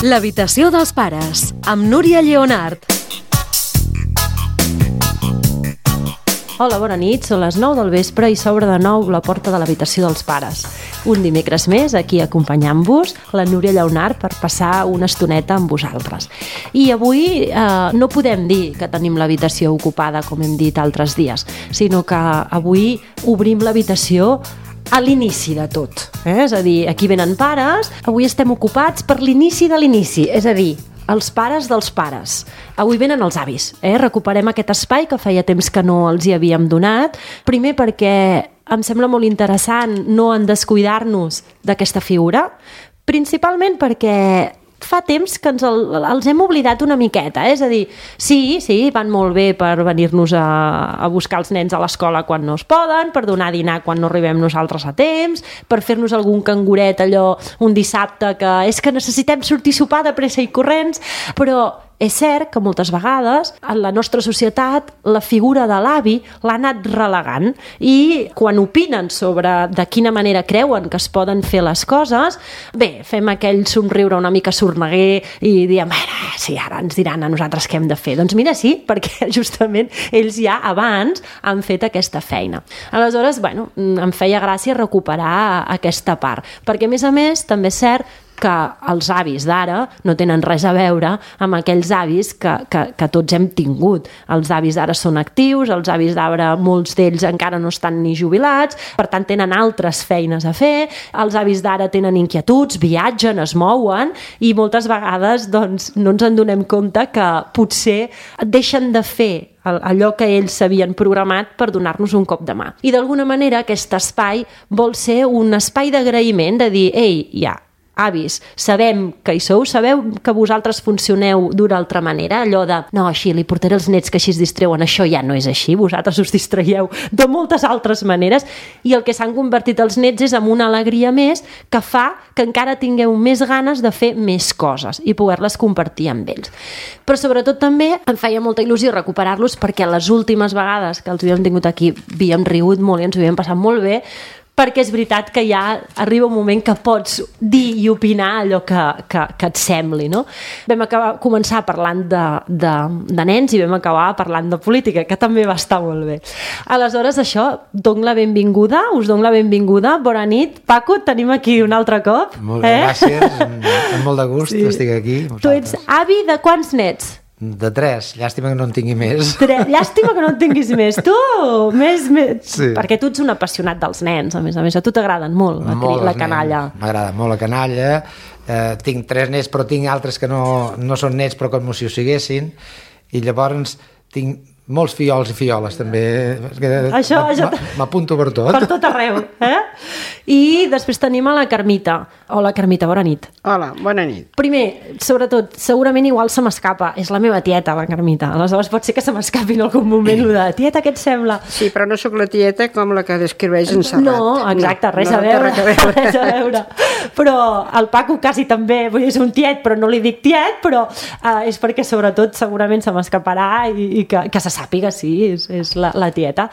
L'habitació dels pares, amb Núria Lleonart. Hola, bona nit, són les 9 del vespre i s'obre de nou la porta de l'habitació dels pares. Un dimecres més, aquí acompanyant-vos, la Núria Lleonart, per passar una estoneta amb vosaltres. I avui no podem dir que tenim l'habitació ocupada, com hem dit altres dies, sinó que avui obrim l'habitació a l'inici de tot. És a dir, aquí venen pares, avui estem ocupats per l'inici de l'inici, és a dir, els pares dels pares. Avui venen els avis. Recuperem aquest espai que feia temps que no els hi havíem donat. Primer perquè em sembla molt interessant no en descuidar-nos d'aquesta figura. Principalment perquè fa temps que els hem oblidat una miqueta. És a dir, sí, van molt bé per venir-nos a buscar els nens a l'escola quan no es poden, per donar dinar quan no arribem nosaltres a temps, per fer-nos algun canguret allò un dissabte que és que necessitem sortir a sopar de pressa i corrents, però és cert que moltes vegades en la nostra societat la figura de l'avi l'ha anat relegant i quan opinen sobre de quina manera creuen que es poden fer les coses, bé, fem aquell somriure una mica sorneguer i diem, sí, ara ens diran a nosaltres què hem de fer. Doncs mira, sí, perquè justament ells ja abans han fet aquesta feina. Aleshores, bueno, em feia gràcia recuperar aquesta part, perquè a més també és cert que els avis d'ara no tenen res a veure amb aquells avis que tots hem tingut. Els avis d'ara són actius, els avis d'ara, molts d'ells encara no estan ni jubilats, per tant tenen altres feines a fer, els avis d'ara tenen inquietuds, viatgen, es mouen i moltes vegades doncs, no ens en donem compte que potser deixen de fer allò que ells s'havien programat per donar-nos un cop de mà. I d'alguna manera aquest espai vol ser un espai d'agraïment, de dir, ei, ja, avis, sabem que hi sou, sabeu que vosaltres funcioneu d'una altra manera, allò de, no, així, li portaré els nets que així es distreuen, això ja no és així, vosaltres us distraieu de moltes altres maneres i el que s'han convertit els nets és en una alegria més que fa que encara tingueu més ganes de fer més coses i poder-les compartir amb ells. Però sobretot també em feia molta il·lusió recuperar-los perquè les últimes vegades que els havíem tingut aquí havíem rigut molt i ens ho havíem passat molt bé, perquè és veritat que ja arriba un moment que pots dir i opinar allò que et sembli, no? Vam començar parlant de nens i vam acabar parlant de política, que també va estar molt bé. Aleshores, això, dono la benvinguda, us dono la benvinguda. Bona nit. Paco, et tenim aquí un altre cop. Molt bé, gràcies. Amb molt de gust estic aquí. Tu ets avi de quants nets? De 3, llàstima que no en tingui més. Llàstima que no en tinguis més. Tu, més... Sí. Perquè tu ets un apassionat dels nens, a més, a tu t'agraden molt la canalla. M'agrada molt la canalla. Tinc 3 nets, però tinc altres que no són nets, però com si ho siguessin. I llavors tinc molts fiols i fioles, també. Això m'apunto per tot. Per tot arreu. I després tenim a la Carmita. Hola, Carmita, bona nit. Hola, bona nit. Primer, sobretot, segurament igual se m'escapa. És la meva tieta, la Carmita. Aleshores pot ser que se m'escapi en algun moment de tieta, què et sembla? Sí, però no sóc la tieta com la que descriveix en Serrat. No, exacte, res a veure. Però el Paco quasi també, és un tiet, però no li dic tiet, però és perquè sobretot segurament se m'escaparà i que se sàpiga, sí, és la tieta.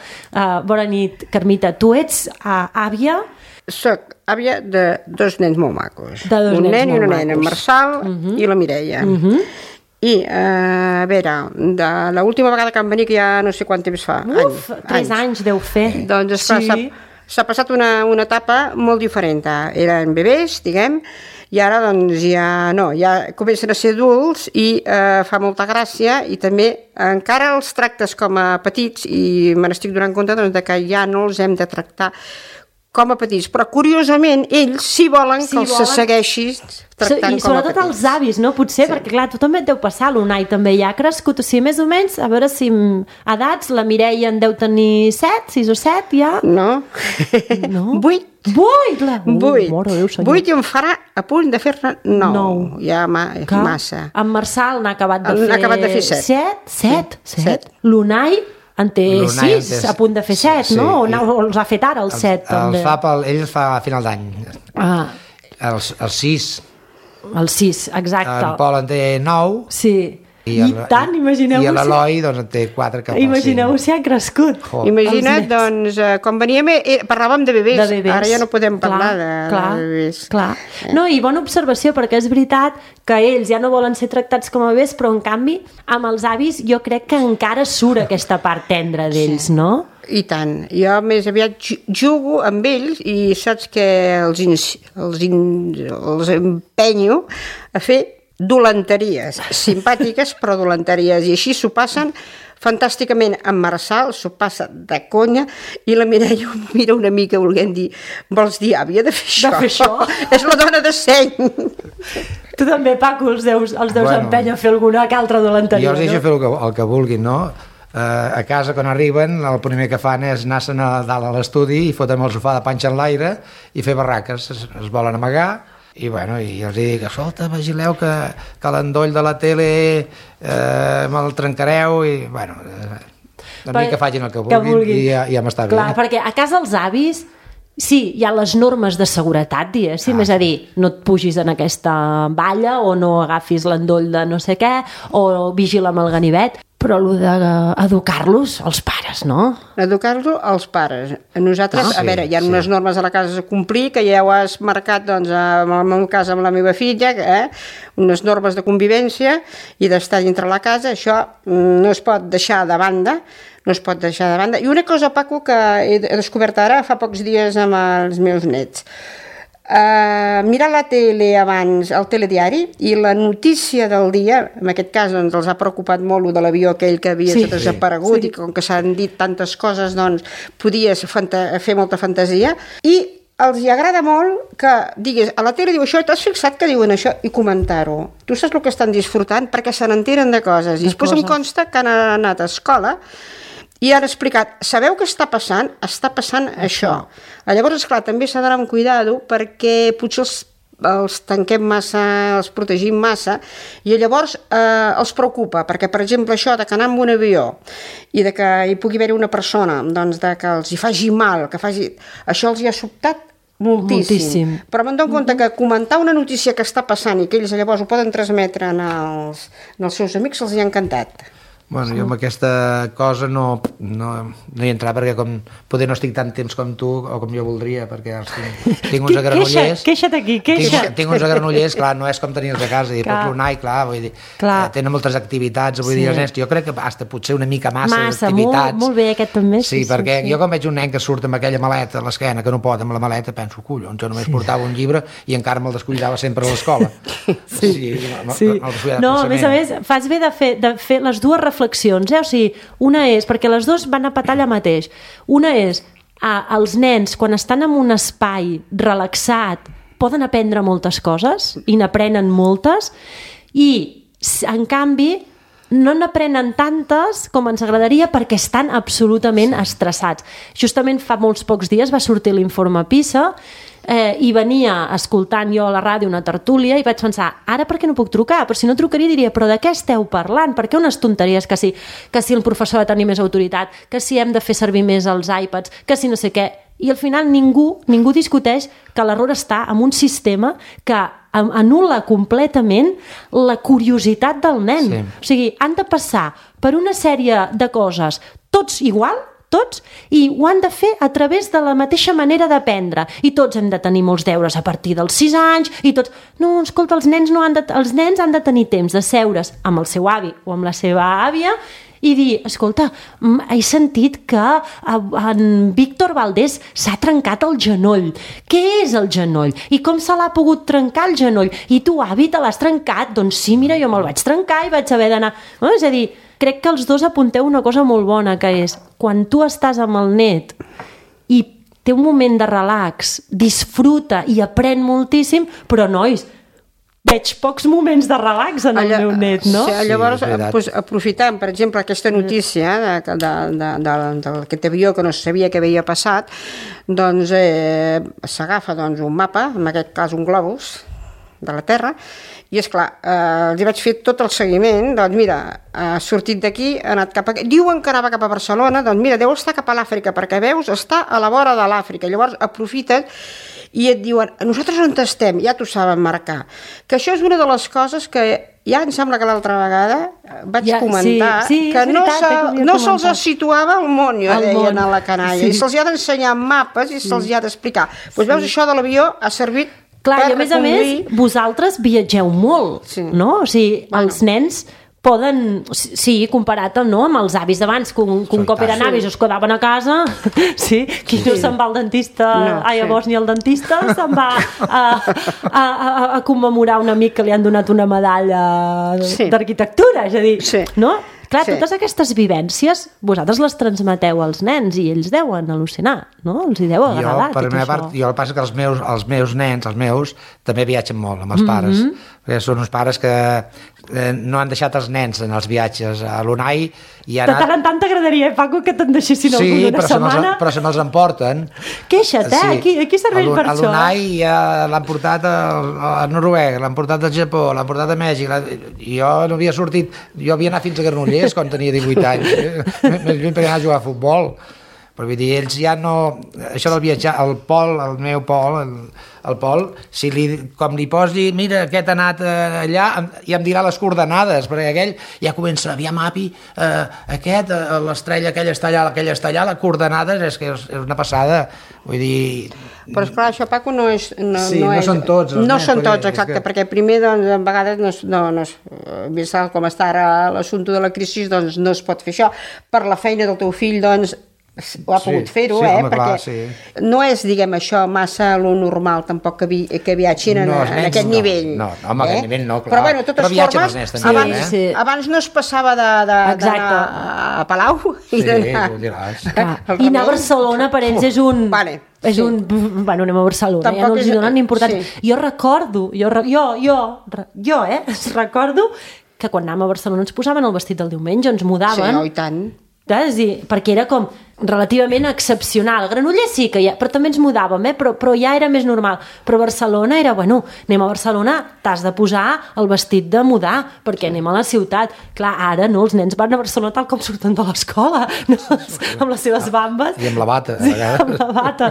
Bona nit, Carmita. Tu ets àvia? Soc àvia de 2 nens molt macos. Un nen i una nena, en Marçal i la Mireia. I, a veure, de l'última vegada que van venir, que ja no sé quant temps fa. 3 anys deu fer. Doncs esclar, s'ha passat una etapa molt diferent. Eren bebès, diguem, i ara doncs ja comencen a ser adults i fa molta gràcia i també encara els tractes com a petits i me n'estic donant compte doncs, que ja no els hem de tractar com a petits, però curiosament ells sí volen que els segueixi tractant com a petits. I sobretot els avis, no? Potser, perquè clar, tu també et deu passar, l'Unai també ja ha crescut, o sigui, més o menys, a veure si edats, la Mireia en deu tenir 7, 6 o 7 ja? No. 8. 8 i em farà a punt de fer-ne 9. Ja massa. En Marçal n'ha acabat de fer 7. 7? L'Unai en té 6, a punt de fer 7, no? O els ha fet ara, el 7, també? Ell els fa a final d'any. El 6. El 6, exacte. En Pol en té 9. Sí. I tant, imagineu-vos... I l'Eloi, doncs, en té 4 cap al 5. Imagineu-vos si ha crescut. Imagina't, doncs, quan veníem parlàvem de bebès. Ara ja no podem parlar de bebès. Clar. No, i bona observació, perquè és veritat que ells ja no volen ser tractats com a bebès, però en canvi, amb els avis jo crec que encara surt aquesta part tendra d'ells, no? I tant. Jo més aviat jugo amb ells i saps que els empenyo a fer dolenteries, simpàtiques però dolenteries, i així s'ho passen fantàsticament. En Marçal s'ho passa de conya i la Mireia ho mira una mica volent dir, vols dir àvia de fer això? És la dona de seny. Tu també, Paco, els deus empènyer a fer alguna altra dolenteria, jo els deixo fer el que vulguin, no? A casa, quan arriben, el primer que fan és anar-se'n a dalt a l'estudi i fotem el sofà de panxa en l'aire i fer barraques. Es volen amagar i els dic, escolta, vigileu que l'endoll de la tele me'l trencareu i a mi que facin el que vulguin i ja m'està bé. Clar, perquè a casa els avis sí, hi ha les normes de seguretat, diguéssim, és a dir, no et pugis en aquesta valla o no agafis l'endoll de no sé què o vigila amb el ganivet, però el d'educar-los els pares, no? Educar-los els pares. Nosaltres, a veure, hi ha unes normes a la casa a complir, que ja ho has marcat, doncs, en el meu cas amb la meva filla, unes normes de convivència i d'estar dintre la casa, això no es pot deixar de banda, I una cosa, Paco, que he descobert ara fa pocs dies amb els meus nets. Mirar la tele abans, el telediari, i la notícia del dia, en aquest cas doncs, els ha preocupat molt de l'avió aquell que havia desaparegut i com que s'han dit tantes coses doncs podies fer molta fantasia, i els hi agrada molt que diguis, a la tele diu això, t'has fixat que diuen això, i comentar-ho. Tu saps el que estan disfrutant perquè se n'enteren de coses, i després em consta que han anat a escola i han explicat, sabeu què està passant? Està passant això. Llavors, esclar, també s'ha d'anar amb cuidado perquè potser els tanquem massa, els protegim massa, i llavors els preocupa, perquè, per exemple, això de que anar amb un avió i de que hi pugui haver una persona, doncs, de que els hi faci mal, això els hi ha sobtat moltíssim. Però me'n dono compte que comentar una notícia que està passant i que ells llavors ho poden transmetre als seus amics els hi ha encantat. Bueno, jo amb aquesta cosa no hi entrava perquè poder no estic tant temps com tu o com jo voldria, perquè tinc uns agranollers. Queixa't aquí, queixa't. Tinc uns agranollers, clar, no és com tenir-los a casa, pots l'unar i clar, vull dir, tenen moltes activitats, vull dir, els nens, jo crec que hasta potser una mica massa d'activitats. Molt bé, aquest també. Sí, perquè jo quan veig un nen que surt amb aquella maleta a l'esquena, que no pot amb la maleta, penso, collons, jo només portava un llibre i encara me'l descuidava sempre a l'escola. No, a més, fas bé de fer les dues reflexions, o sigui, una és, perquè les dues van a petar allà mateix, una és, els nens quan estan en un espai relaxat poden aprendre moltes coses i n'aprenen moltes, i en canvi no n'aprenen tantes com ens agradaria perquè estan absolutament estressats. Justament fa molts pocs dies va sortir l'informe PISA i venia escoltant jo a la ràdio una tertúlia i vaig pensar, ara per què no puc trucar? Però si no trucaria diria, però de què esteu parlant? Per què unes tonteries que si el professor ha de tenir més autoritat, que si hem de fer servir més els iPads, que si no sé què, i al final ningú discuteix que l'error està en un sistema que anul·la completament la curiositat del nen. O sigui, han de passar per una sèrie de coses tots igual, tots, i ho han de fer a través de la mateixa manera d'aprendre, i tots hem de tenir molts deures a partir dels 6 anys, i tots, no, escolta, els nens han de tenir temps de seure's amb el seu avi o amb la seva àvia i dir, escolta, he sentit que en Víctor Valdés s'ha trencat el genoll. Què és el genoll? I com se l'ha pogut trencar el genoll? I tu, avi, te l'has trencat? Doncs sí, mira, jo me'l vaig trencar i vaig haver d'anar... No? És a dir, crec que els dos apunteu una cosa molt bona, que és, quan tu estàs amb el net i té un moment de relax, disfruta i aprèn moltíssim, però, nois, veig pocs moments de relax en el meu net, no? Sí, llavors, aprofitant, per exemple, aquesta notícia d'aquest avió que no sabia què havia passat, doncs s'agafa un mapa, en aquest cas un globus de la Terra, i esclar, els vaig fer tot el seguiment, doncs mira, ha sortit d'aquí, ha anat cap a... Diuen que anava cap a Barcelona, doncs mira, deu estar cap a l'Àfrica, perquè veus, està a la vora de l'Àfrica, llavors aprofiten i et diuen, nosaltres on estem, ja t'ho saben marcar, que això és una de les coses que ja em sembla que l'altra vegada vaig comentar sí, que no se'ls comentat. situava al món, jo deien a la canalla, i se'ls ha d'ensenyar mapes i se'ls ha d'explicar. Doncs veus, això de l'avió ha servit Clar, per i a més, vosaltres viatgeu molt, no? O sigui, els nens poden, sí, comparat amb els avis d'abans, que un cop eren avis es quedaven a casa, sí, qui no se'n va al dentista, llavors ni el dentista se'n va a commemorar un amic que li han donat una medalla d'arquitectura, és a dir, no? Clar, totes aquestes vivències vosaltres les transmeteu als nens i ells deuen al·lucinar, no? Els hi deu agradar tot això. Jo el passa que els meus nens, també viatgen molt amb els pares, perquè són uns pares que no han deixat els nens en els viatges. A l'UNAI hi ha anat... De tant en tant t'agradaria, Paco, que te'n deixessin alguna setmana. Sí, però se me'ls emporten. Queixa't, aquí serveix per això. A l'UNAI l'han portat a Noruega, l'han portat al Japó, l'han portat a Mèxic, jo no havia sortit, jo havia anat fins a Granollers quan tenia 18 anys, més lluny per anar a jugar a futbol. Però vull dir, ells ja no... Això del viatjar, el Pol, el meu Pol, el Pol, com li posi, mira, aquest ha anat allà, i em dirà les coordenades, perquè aquell ja comença, aviam, api, l'estrella, aquella està allà, les coordenades, és que és una passada, vull dir... Però esclar, això, Paco, no són tots. No són tots, exacte, perquè primer, doncs, a vegades, vist com està ara l'assumpte de la crisi, doncs no es pot fer això. Per la feina del teu fill, doncs, ho ha pogut fer-ho, perquè no és, diguem, això massa lo normal, tampoc que viatgin en aquest nivell. No, home, aquest nivell no, clar. Però, bueno, de totes formes, abans no es passava d'anar a Palau i d'anar... I anar a Barcelona per ells és un... Bueno, anem a Barcelona, ja no els hi donen importància. Jo recordo que quan anàvem a Barcelona ens posaven el vestit del diumenge, ens mudaven. Sí, i tant. Perquè era com relativament excepcional. Granollers sí que però també ens mudàvem, però ja era més normal. Però Barcelona era, anem a Barcelona, t'has de posar el vestit de mudar, perquè anem a la ciutat. Clar, ara no, els nens van a Barcelona tal com surten de l'escola, amb les seves bambes. I amb la bata. Sí, amb la bata.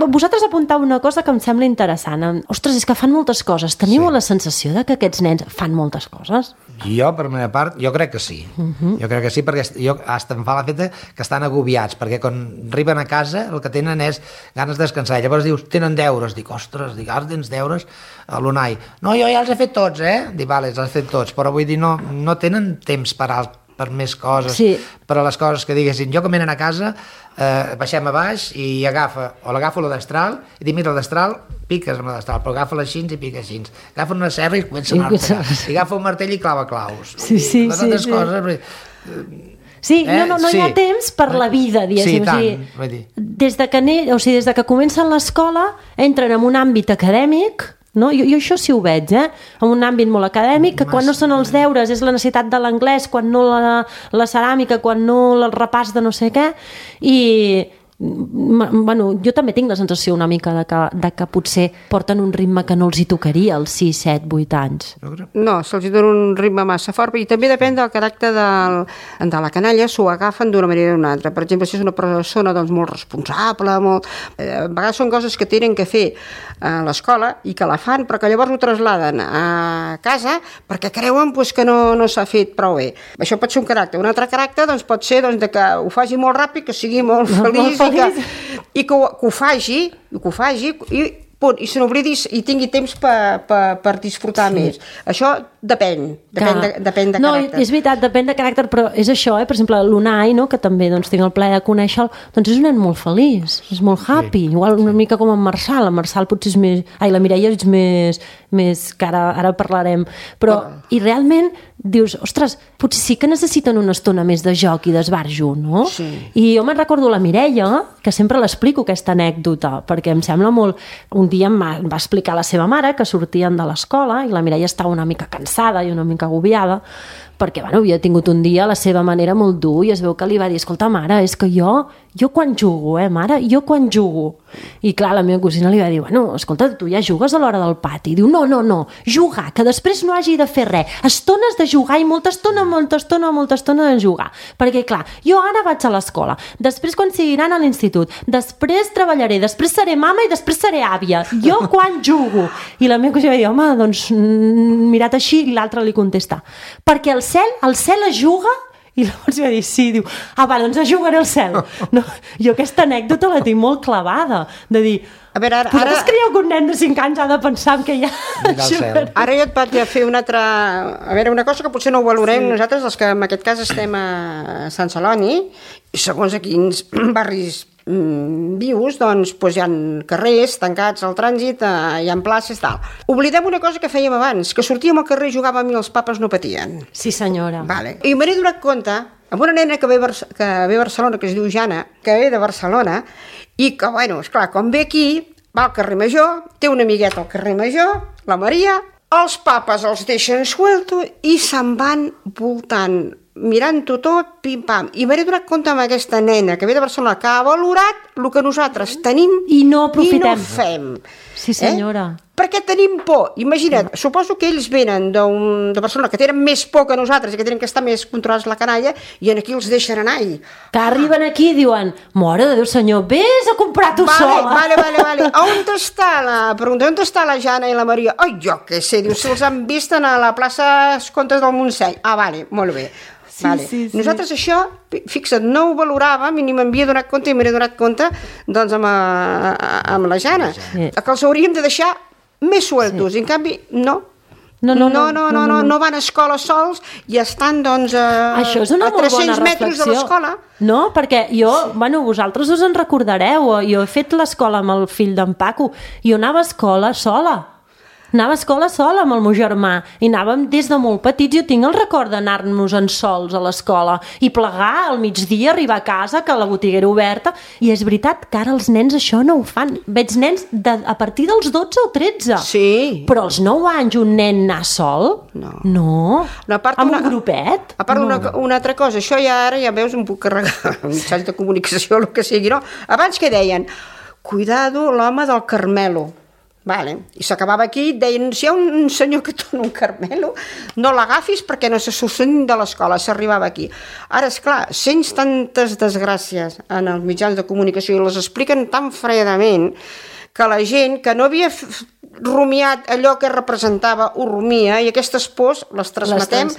Vosaltres apuntau una cosa que em sembla interessant. Ostres, és que fan moltes coses. Teniu la sensació de que aquests nens fan moltes coses? Jo, per la meva part, jo crec que sí. Jo crec que sí, perquè hasta em fa la feta que estan agobiats, perquè quan arriben a casa el que tenen és ganes de descansar. Llavors dius, tenen deures. Dic, ostres, tens deures a l'UNAI. No, jo ja els he fet tots, Dic, vale, els he fet tots, però vull dir, no tenen temps per més coses, per a les coses que diguessin. Jo, quan venen a casa, baixem a baix i l'agafo la destral i dic, mira, la destral, piques amb la destral, però agafa les xins i piques xins. Agafa una serra i comença a anar-te. I agafa un martell i clava claus. Sí. Coses... Sí, no hi ha temps per la vida, diguéssim. Des de que comencen l'escola, entren en un àmbit acadèmic, no? Jo això sí ho veig, en un àmbit molt acadèmic, que quan no són els deures és la necessitat de l'anglès, quan no la ceràmica, quan no el repàs de no sé què, i... jo també tinc la sensació una mica de que potser porten un ritme que no els hi tocaria als 6, 7, 8 anys. No, se'ls hi dona un ritme massa fort, i també depèn del caràcter de la canalla, s'ho agafen d'una manera o d'una altra. Per exemple, si és una persona molt responsable, a vegades són coses que tenen que fer a l'escola i que la fan, però que llavors ho trasladen a casa perquè creuen que no s'ha fet prou bé. Això pot ser un caràcter. Un altre caràcter pot ser que ho faci molt ràpid, que sigui molt feliç, i que ho faci i punt, i se n'oblidis i tingui temps per disfrutar més. Això depèn de caràcter. No, és veritat, depèn de caràcter, però és això, per exemple, l'Unai, que també tinc el plaer de conèixer-lo, doncs és un nen molt feliç, és molt happy, igual una mica com en Marçal potser és més... la Mireia és més que ara parlarem, però i realment dius, ostres, potser sí que necessiten una estona més de joc i d'esbarjo, no? Sí. I jo me'n recordo la Mireia, que sempre l'explico aquesta anècdota, perquè em sembla molt... Un dia em va explicar la seva mare que sortien de l'escola i la Mireia estava una mica cansada i una mica agobiada, perquè havia tingut un dia a la seva manera molt dur i es veu que li va dir, escolta mare, és que jo jo quan jugo, mare, jo quan jugo. I clar, la meva cosina li va dir, bueno, escolta, tu ja jugues a l'hora del pati. Diu, no, jugar, que després no hagi de fer res. Estones de jugar i molta estona de jugar. Perquè clar, jo ara vaig a l'escola, després quan sigui gran a l'institut, després treballaré, després seré mama i després seré àvia. Jo quan jugo? I la meva cosina va dir, home, doncs mirat així, i l'altre li contesta, perquè el cel es juga. I llavors va dir, sí, diu, doncs jugaré al cel. No, jo aquesta anècdota la tinc molt clavada, de dir, a veure, vosaltres creieu que un nen de 5 anys ha de pensar que ja... Ara jo et vaig a fer una altra... A veure, una cosa que potser no ho valorem nosaltres, els que en aquest cas estem a Sant Celoni, i segons a quins barris vius, doncs hi ha carrers tancats al trànsit, hi ha places, tal. Oblidem una cosa que fèiem abans, que sortíem al carrer i jugàvem i els papes no patien. Sí, senyora. Vale. I m'he donat compte, amb una nena que ve a Barcelona, que es diu Jana, que ve de Barcelona, i que, bueno, esclar, quan ve aquí, va al carrer Major, té una amigueta al carrer Major, la Maria, els papes els deixen suelto i se'n van voltant, mirant-ho tot, pim-pam. I m'he donat compte amb aquesta nena que ve de Barcelona, que ha valorat el que nosaltres tenim i no aprofitem. I no fem. Sí, senyora. Perquè tenim por. Imagina't, suposo que ells venen de Barcelona, que tenen més por que nosaltres i que tenen que estar més controlats la canalla, i aquí els deixen anar. Que arriben aquí i diuen, mare de Déu senyor, vés a comprar tu sola. Vale. On està la Jana i la Maria? Ai, jo què sé, diu, si els han vist a la plaça Comtes del Montseny. Vale, molt bé. Sí. Nosaltres això, fixa't, no ho valoràvem i ni m'havia donat compte i m'he donat compte doncs amb la Jana, que els hauríem de deixar més sueltos, i en canvi no van a escola sols i estan doncs a 300 metres de l'escola. No, perquè vosaltres us en recordareu, jo he fet l'escola amb el fill d'en Paco, jo anava a escola sola amb el meu germà i anàvem des de molt petits. Jo tinc el record d'anar-nos-en sols a l'escola i plegar al migdia, arribar a casa, que la botiga era oberta, i és veritat que ara els nens això no ho fan. Veig nens a partir dels 12 o 13. Sí. Però als 9 anys un nen anar sol? No. Amb un grupet? A part, una altra cosa, això ara ja veus, em puc carregar mitjans de comunicació, el que sigui, no? Abans que deien, cuidado l'home del Carmelo. Vale. I s'acabava aquí, deien, si hi ha un senyor que dona un Carmelo, no l'agafis perquè no se surt de l'escola, s'arribava aquí. Ara, esclar, sents tantes desgràcies en els mitjans de comunicació i les expliquen tan fredament que la gent que no havia rumiat allò que representava ho rumia, i aquestes pors les transmetem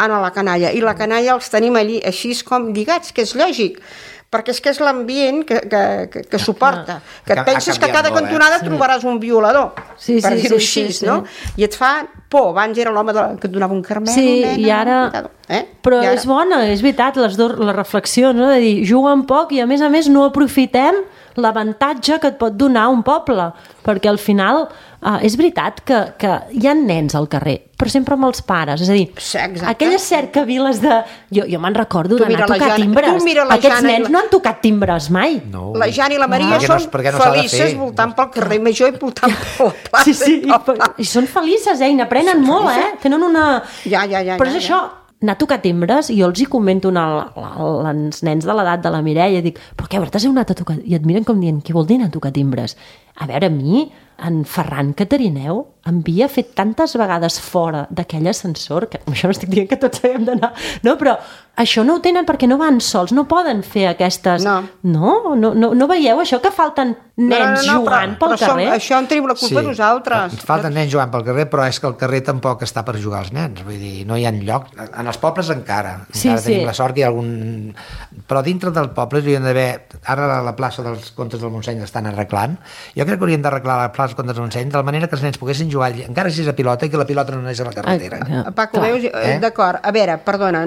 a la canalla, i la canalla els tenim allí així com lligats, que és lògic, perquè és que és l'ambient que suporta, que et penses que a cada cantonada trobaràs un violador, per dir-ho així, no? I et fa por. Abans era l'home que et donava un Carmelo, nena, i ara... Però és bona, és veritat, la reflexió, no? De dir, juguen poc i a més no aprofitem l'avantatge que et pot donar un poble, perquè al final és veritat que hi ha nens al carrer, però sempre amb els pares, és a dir, aquelles cercaviles de... Jo me'n recordo d'anar a tocar timbres. Aquests nens no han tocat timbres mai. La Jana i la Maria són felices voltant pel carrer Major i voltant per la plaça. Sí, i són felices, i n'aprenen molt, tenen una... Però és això, anar a tocar timbres, i jo els hi comento als nens de l'edat de la Mireia, dic, però què, t'has anat a tocar? I et miren com dient, què vol dir anar a tocar timbres? A veure, a mi, en Ferran Catarineu em havia fet tantes vegades fora d'aquell ascensor, que això no estic dient que tots haguem d'anar, no, però això no ho tenen perquè no van sols, no poden fer aquestes... No veieu això, que falten nens jugant pel carrer? Això en tenim la culpa nosaltres. Falten nens jugant pel carrer, però és que el carrer tampoc està per jugar als nens, vull dir, no hi ha lloc. En els pobles encara tenim la sort que hi ha algun... Però dintre del poble hi hauria d'haver... Ara la plaça dels Comtes del Montseny l'estan arreglant. Jo crec que haurien d'arreglar la plaça dels Comtes del Montseny de manera que els nens poguessin jugar, encara si és a pilota, i que la pilota no anés a la carretera. Paco, veus? D'acord, a veure, perdona,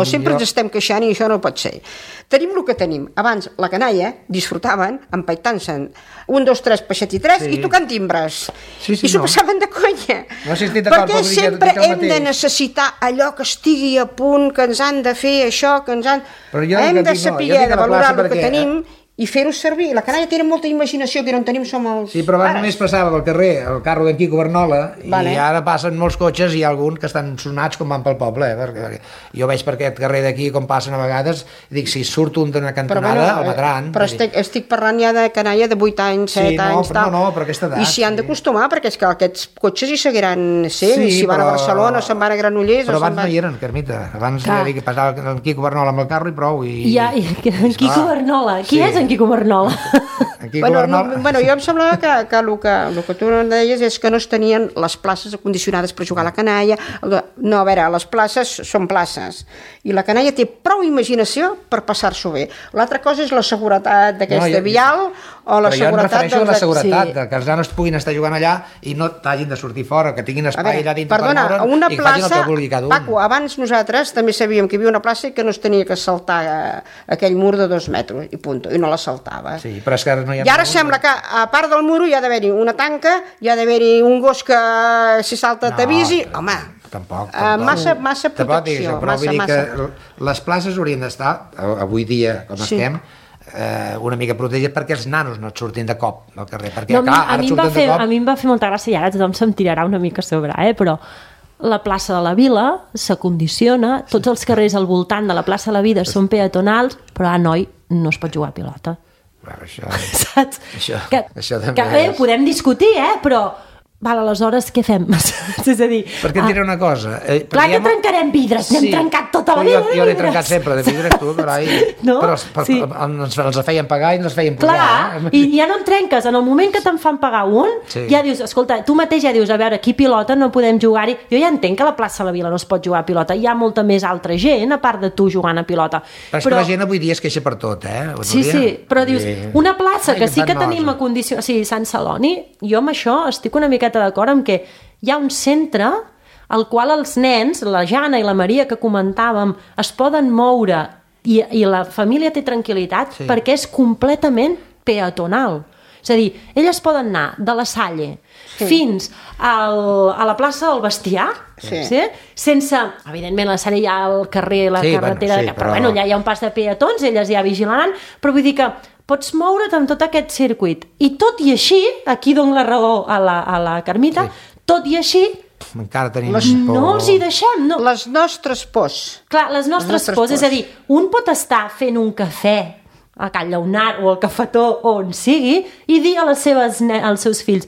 sempre ens estem queixant i això no pot ser. Tenim el que tenim. Abans la canalla disfrutaven empaitant-se'n 1, 2, 3, peixet i 3 i tocant timbres. I s'ho passaven de conya. Perquè sempre hem de necessitar allò que estigui a punt, que ens han de fer això, que ens han... Hem de saber de valorar el que tenim i fer-ho servir. La canalla té molta imaginació, que no en tenim som els Sí, però abans només passava pel carrer el carro d'en Quico Bernola Vale. i ara passen molts cotxes i hi ha alguns que estan sonats com van pel poble, perquè jo veig per aquest carrer d'aquí com passen a vegades i dic, si surt un d'una cantonada el matran. Però estic parlant ja de canalla de 8 anys, 7 anys, tal. Però aquesta edat. I s'hi han d'acostumar, perquè és que aquests cotxes hi seguiran sent, Sí, si van a però- Barcelona, se'n van a Granollers... Però o se'n abans no hi eren, Carmita. Abans ja dic que passava en Quico Bernola amb el carro i prou. En Quico Bernola. Qui és en Quico Bernola? En Quico Bernola... Bueno, jo em semblava que el que tu em deies és que no es tenien les places acondicionades per jugar a la canalla. No, a veure, les places són places i la canalla té prou imaginació per passar-s'ho bé. L'altra cosa és la seguretat d'aquesta vial o la seguretat... Però jo em refereixo a la seguretat, Sí. que els nanos puguin estar jugant allà i no t'hagin de sortir fora, que tinguin espai allà dintre perdona, per moure'n una i que facin el plaça, que vulgui cada un. Paco, abans nosaltres també sabíem que hi havia una plaça i que no es tenia que saltar aquell mur de 2 metres i punt, i no la saltava. Sí, però és que ara no hi ha... I ara sembla que a part del muro hi ha d'haver-hi una tanca, hi ha d'haver-hi un gos que si salta t'avisi, home, Tampoc. massa protecció, Però vull dir massa. que les places haurien d'estar, avui dia, com estem, una mica protegides perquè els nanos no et surtin de cop al carrer, perquè No, clar, ara surten de cop... a mi em va fer molta gràcia, i ara tothom se'm tirarà una mica a sobre, però la plaça de la Vila s'acondiciona, tots els carrers al voltant de la plaça de la Vida són peatonals, però noi, no es pot jugar a pilota. Bueno, això... Saps? Això també que bé, podem discutir, però val, aleshores què fem? És a dir... Perquè et diré una cosa... Clar que trencarem vidres, n'hem trencat tota la vida. Jo n'he trencat sempre de vidres, tu, carai. No? Però Sí. els feien pagar i ens els feien posar. Clar, i ja no en trenques. En el moment que te'n fan pagar un, ja dius, escolta, tu mateix ja dius, a veure, aquí pilota no podem jugar-hi. Jo ja entenc que a la plaça de la Vila no es pot jugar a pilota. Hi ha molta més altra gent, a part de tu jugant a pilota. Però és que la gent avui dia es queixa per tot, Sí, però dius, una plaça que sí que tenim a acondicionada... Sí, Sant Celoni, jo amb això estic una miqueta d'acord amb que hi ha un centre al qual els nens, la Jana i la Maria que comentàvem, es poden moure i la família té tranquil·litat perquè és completament peatonal. És a dir, elles poden anar de la Salle fins a la plaça del Bestiar, sense, evidentment, la Salle hi ha el carrer, la carretera, però bueno, allà hi ha un pas de peatons, elles ja vigilaran, però vull dir que pots moure't amb tot aquest circuit. I tot i així, aquí dono la raó a la Carmita, tot i així, encara tenim no els hi deixem. No. Les nostres pors. Clar, les nostres pors. És a dir, un pot estar fent un cafè a Can Lleonard o al cafetó o on sigui i dir a als seus fills,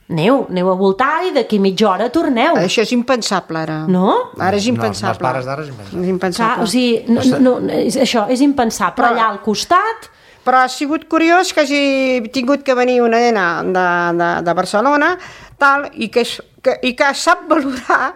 aneu a voltar i d'aquí mitja hora torneu. Això és impensable, ara. No? Ara és impensable. els pares d'ara és impensable. És impensable. Clar, o sigui, això és impensable. Però allà al costat... Però ha sigut curiós que hagi tingut que venir una nena de Barcelona tal, i que sap valorar,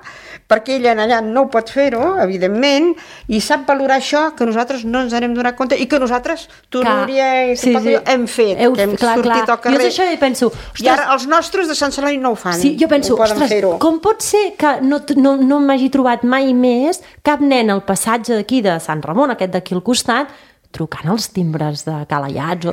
perquè ella allà no ho pot fer-ho, evidentment, i sap valorar això que nosaltres no ens n'hem donat compte i que nosaltres, tu, Núria, hem fet, que hem sortit al carrer. Jo això i penso... I ara els nostres de Sant Celoni no ho fan. Sí, jo penso, ostres, com pot ser que no m'hagi trobat mai més cap nen al passatge d'aquí de Sant Ramon, aquest d'aquí al costat, trucant els timbres de Calaiats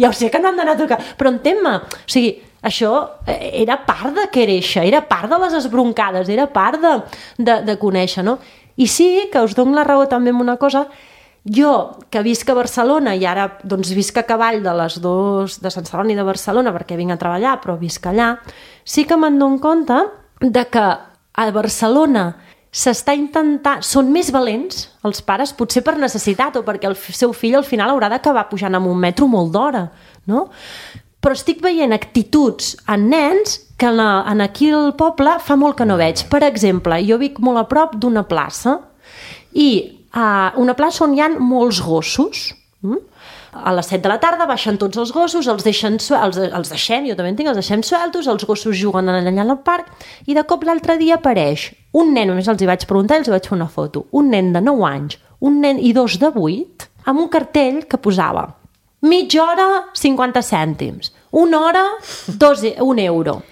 ja ho sé que no han d'anar a trucar, però entén-me, o sigui, això era part de quereixer, era part de les esbroncades, era part de conèixer, no? I sí que us dono la raó també en una cosa, jo que visc a Barcelona i ara doncs visc a cavall de les dues, de Sant Celoni i de Barcelona perquè vinc a treballar, però visc allà, sí que me'n dono compte de que a Barcelona s'està intentant... Són més valents, els pares, potser per necessitat o perquè el seu fill al final haurà d'acabar pujant amb un metro molt d'hora, no? Però estic veient actituds en nens que aquí al poble fa molt que no veig. Per exemple, jo vic molt a prop d'una plaça i una plaça on hi ha molts gossos. A les 7 de la tarda baixen tots els gossos, els deixem, jo també en tinc, els deixem sueltos, els gossos juguen allà al parc, i de cop l'altre dia apareix un nen, només els hi vaig preguntar i els hi vaig fer una foto, un nen de 9 anys, un nen i 2 de 8, amb un cartell que posava mitja hora 50 cèntims, una hora 1 euro.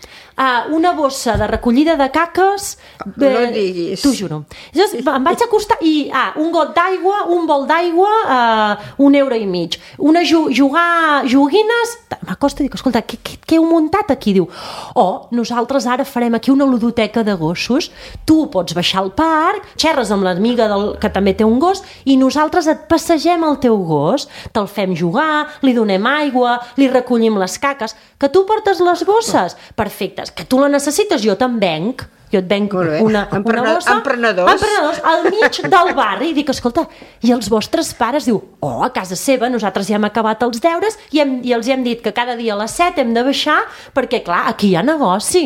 una bossa de recollida de caques... No et diguis. T'ho juro. Llavors em vaig acostar i un got d'aigua, un bol d'aigua, €1,50. Jugar joguines... M'acosto i dic, escolta, què heu muntat aquí? Diu, nosaltres ara farem aquí una ludoteca de gossos, tu pots baixar al parc, xerres amb l'amiga que també té un gos i nosaltres et passegem el teu gos, te'l fem jugar, li donem aigua, li recollim les caques, que tu portes les bosses, perfectes, que tu la necessites, jo te'n venc. Jo et venc una bossa... Emprenedors al mig del barri. I dic, escolta, i els vostres pares? Diu, a casa seva nosaltres ja hem acabat els deures i els hem dit que cada dia a les 7 hem de baixar perquè, clar, aquí hi ha negoci.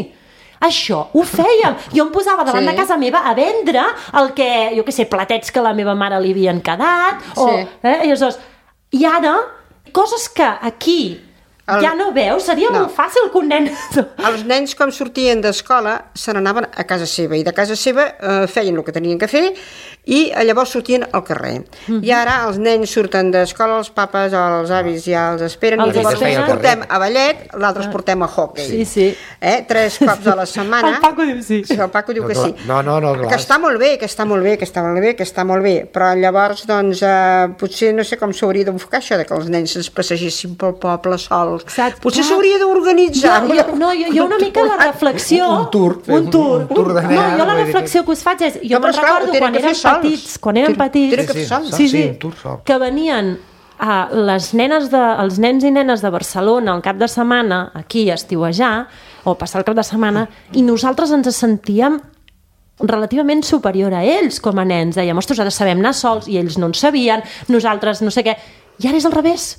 Això ho fèiem. Jo em posava davant de casa meva a vendre el que, jo què sé, platets que a la meva mare li havien quedat. I ara, coses que aquí... ja no veus? Seria molt fàcil que un nen... Els nens, com sortien d'escola, se n'anaven a casa seva, i de casa seva feien el que tenien que fer i llavors sortien al carrer. I ara els nens surten d'escola, els papes o els avis ja els esperen, i llavors portem a ballet, l'altre els portem a hockey. Sí. 3 cops a la setmana. El Paco diu sí. El Paco diu que sí. No, clar. Que està molt bé, però llavors, doncs, potser no sé com s'hauria d'enfocar això, que els nens es passegessin pel poble sols. Exacte. Potser s'hauria d'organitzar. Jo una mica la reflexió... Un tour de nens. No, jo la reflexió que us faig és... Jo me'n recordo quan érem petits, que venien els nens i nenes de Barcelona al cap de setmana, aquí a estiuejar, o passar el cap de setmana, i nosaltres ens sentíem relativament superior a ells com a nens. Dèiem, ostres, ara sabem anar sols, i ells no en sabien, nosaltres no sé què. I ara és al revés.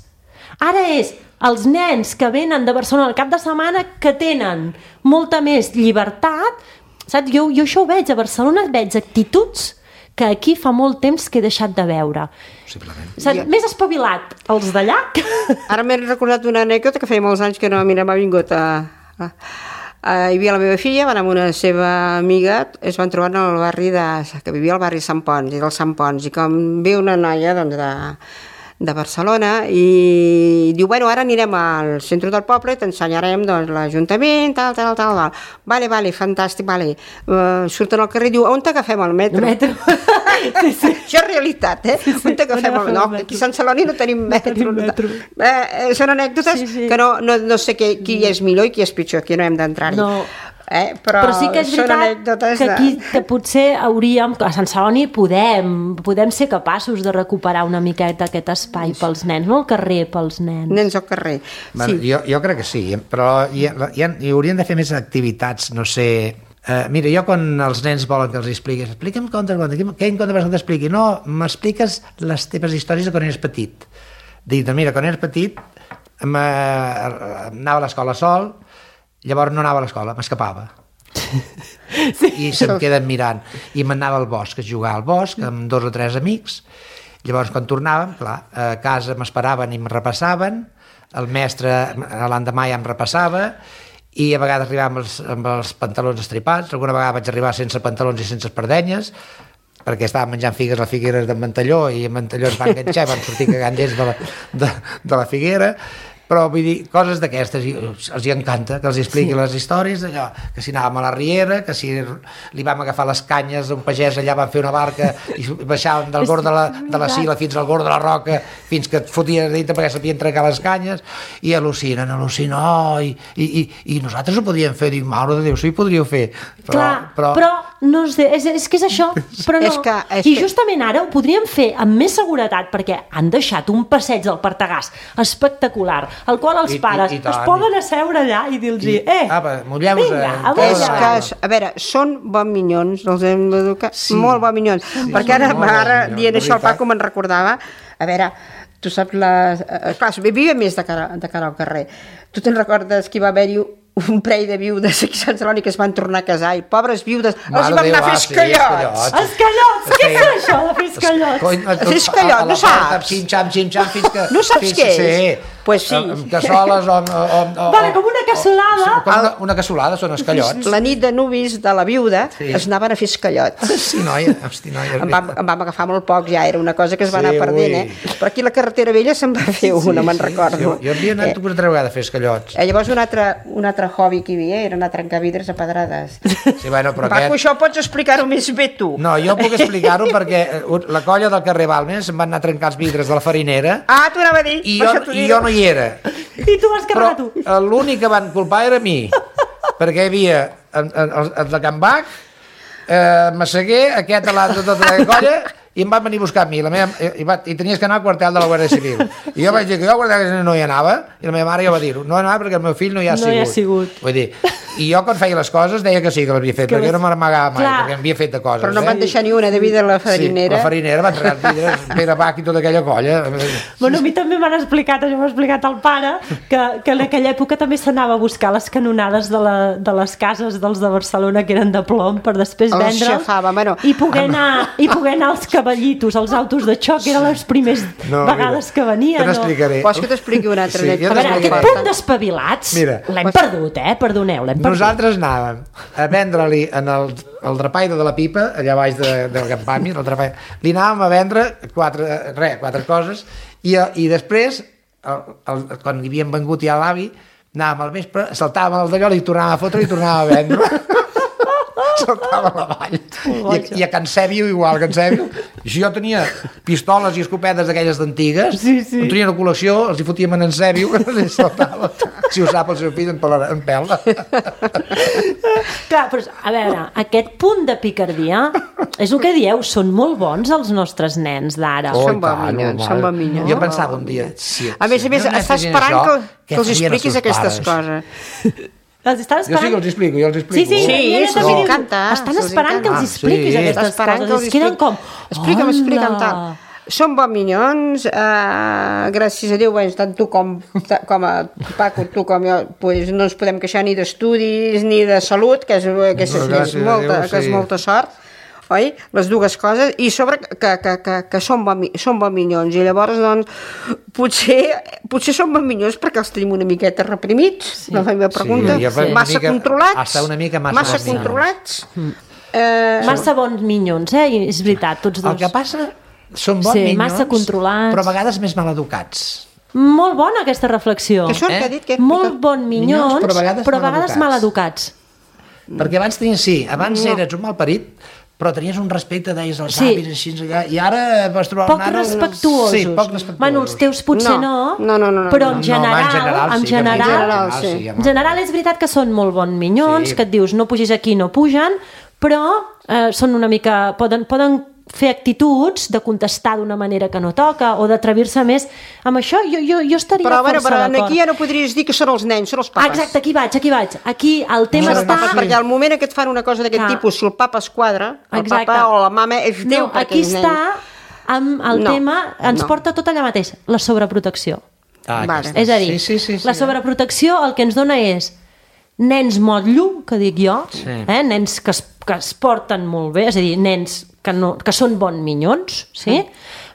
Ara és els nens que venen de Barcelona al cap de setmana que tenen molta més llibertat, saps? Jo això ho veig, a Barcelona veig actituds que aquí fa molt temps que he deixat de veure. Possiblement. Més espavilat els d'allà. Ara m'he recordat una anècdota que feia molts anys que m'ha vingut hi havia la meva filla, van amb una seva amiga, es van trobar al barri que vivia al barri Sant Pons, i del Sant Pons, i com ve una noia de Barcelona i diu, bueno, ara anirem al centre del poble i t'ensenyarem l'Ajuntament, tal. Vale, fantàstic, vale. Surten al carrer i diu, on t'agafem el metro? Sí. Això és realitat, On t'agafem el metro? No, aquí a Sant Celoni no tenim metro. Són anècdotes que no sé qui és millor i qui és pitjor, aquí no hem d'entrar-hi. No. Però sí que és veritat que aquí que potser hauríem, a Sant Celoni podem ser capaços de recuperar una miqueta aquest espai pels nens, no al carrer pels nens. Nens al carrer. Jo crec que sí, però hi haurien de fer més activitats, no sé... Mira, jo quan els nens volen que els expliquis, explica'm què en compte vas que t'expliqui? No, m'expliques les teves històries de quan eres petit. Dic, mira, quan eres petit anava a l'escola sol, llavors no anava a l'escola, m'escapava. I se'm queden mirant. I m'anava al bosc, a jugar al bosc, amb 2 o 3 amics. Llavors, quan tornàvem, clar, a casa m'esperaven i em repassaven, el mestre l'endemà ja em repassava, i a vegades arribàvem amb els pantalons estripats, alguna vegada vaig arribar sense pantalons i sense espardenyes, perquè estàvem menjant figues a Figueres d'en Ventalló, i en Ventalló es va enganxar i vam sortir cagant dents de la figuera. Però vull dir, coses d'aquestes, els hi encanta que els expliqui les històries, allò, que si anàvem a la riera, que si li vam agafar les canyes a un pagès, allà vam fer una barca i baixàvem del bord de la Sila fins al bord de la roca, fins que et fotien dintre perquè sabien trencar les canyes, i al·lucinen, i nosaltres ho podíem fer, dic, mare de Déu, sí ho podríeu fer. Però no sé, és que és això, però no. I justament ara ho podríem fer amb més seguretat, perquè han deixat un passeig del Partagàs espectacular, al qual els pares es poden asseure allà i dir-los mulleu-vos. A veure, són bon minyons, els hem d'educar, molt bon minyons, perquè ara dient això el Paco me'n recordava, a veure, tu saps clar, vivia més de cara al carrer, tu te'n recordes que hi va haver-hi un parell de viudes aquí a Sant Celoni que es van tornar a casar i pobres viudes els van anar a fer escallots. Escallots? Què és això de fer escallots? Fer escallots, no saps? Xim-xam, fins que... No saps què és? Pues sí. Amb cassoles o... Vale, com una cassolada. Com una cassolada, són escallots. La nit de nuvis de la viuda es anaven a fer escallots. Sí, noia, hosti, noia. En vam agafar molt poc, ja era una cosa que es va anar perdent, Però aquí a la carretera vella se'n va fer una, me'n recordo. Jo havia anat una altra vegada a fer escallots. Llavors un altre hobby que hi havia era anar a trencar vidres a pedrades. Sí, bueno, però Paco, això pots explicar-ho més bé tu. No, jo puc explicar-ho perquè la colla del carrer Balmes em van anar a trencar els vidres de la farinera T'ho anava a dir. i jo no hi era. I tu vas carregar tu. Però l'únic que van culpar era a mi, perquè hi havia el de Can Bac, Massaguer, aquest de tota la colla, i em van venir a buscar a mi. I tenies que anar al quartel de la Guàrdia Civil. I jo vaig dir que jo al quartel de la Guàrdia Civil no hi anava, i la meva mare ja va dir-ho. No anava perquè el meu fill no hi ha sigut. Vull dir, i jo quan feia les coses deia que sí que l'havia fet, perquè jo no me n'amagava mai, perquè m'havia fet de coses. Però no van deixar ni una de vida a la farinera. Sí, la farinera va entregar els vidres, Pere Bach i tota aquella colla. Bueno, a mi també m'han explicat, això m'ha explicat el pare, que en aquella època també s'anava a buscar les canonades de les cases dels de Barcelona que eren de plom per després vendre'ls i poder anar als cavallitos, als autos de xoc, eren les primeres vegades que venia. Te n'explicaré. Vols que t'expliqui una altra anècdota? A veure, aquest punt d'espavilats l'hem perdut, perdoneu, l'hem perdut. Nosaltres anàvem a vendre-li en el drapaire de la Pipa, allà baix del campami, li anàvem a vendre quatre coses i després, quan hi havíem vengut ja l'avi, anàvem al vespre, saltàvem al d'allò, li tornàvem a fotre i tornàvem a vendre. Saltava a la vall. I a Can Sèbio igual, Can Sèbio. Jo tenia pistoles i escopetes d'aquelles d'antigues, no tenia una col·lecció, els hi fotíem en Sèbio, que saltava. Si ho sap el seu fill, en pèl. Clar, però a veure, aquest punt de picardia, és el que dieu, són molt bons els nostres nens d'ara. Són bon minyons. Jo pensava un dia... A més, està esperant que els expliquis aquestes coses. Els estan esperant... Jo sí que els explico, Sí, els encanta. Estan esperant que els expliquis aquestes coses. Es queden com... Explica'm tal. Són bons minyons, gràcies a Déu, tant tu com a Paco, tu com jo, no ens podem queixar ni d'estudis ni de salut, que és molta sort. Oi? Les dues coses, i sobre que són bons minyons, i llavors doncs potser són bons minyons perquè els tenim una miqueta reprimits, la meva pregunta, massa controlats, massa controlats, massa bons minyons, és veritat, tots dos. El que passa, són bons minyons, massa controlats, però a vegades més maleducats. Molt bona aquesta reflexió. Molt bons minyons, però a vegades maleducats. Perquè abans eres un malparit, però tenies un respecte, deies els avis, així, i ara vas trobar poc respectuosos. Sí, poc respectuosos. Bueno, els teus potser no, però en general és veritat que són molt bons minyons, que et dius no pugis aquí, no pugen, però són una mica... Poden fer actituds de contestar d'una manera que no toca o d'atrevir-se més. Amb això jo estaria força d'acord. Però aquí ja no podries dir que són els nens, són els papes. Exacte, aquí vaig. Aquí el tema està... Perquè al moment que et fan una cosa d'aquest tipus, si el papa es quadra, el papa o la mama és Déu per aquells nens. Aquí està amb el tema, ens porta tot allà mateix, la sobreprotecció. És a dir, la sobreprotecció el que ens dona és nens motllo, que dic jo, nens que es porten molt bé, és a dir, nens que són bons minyons, sí?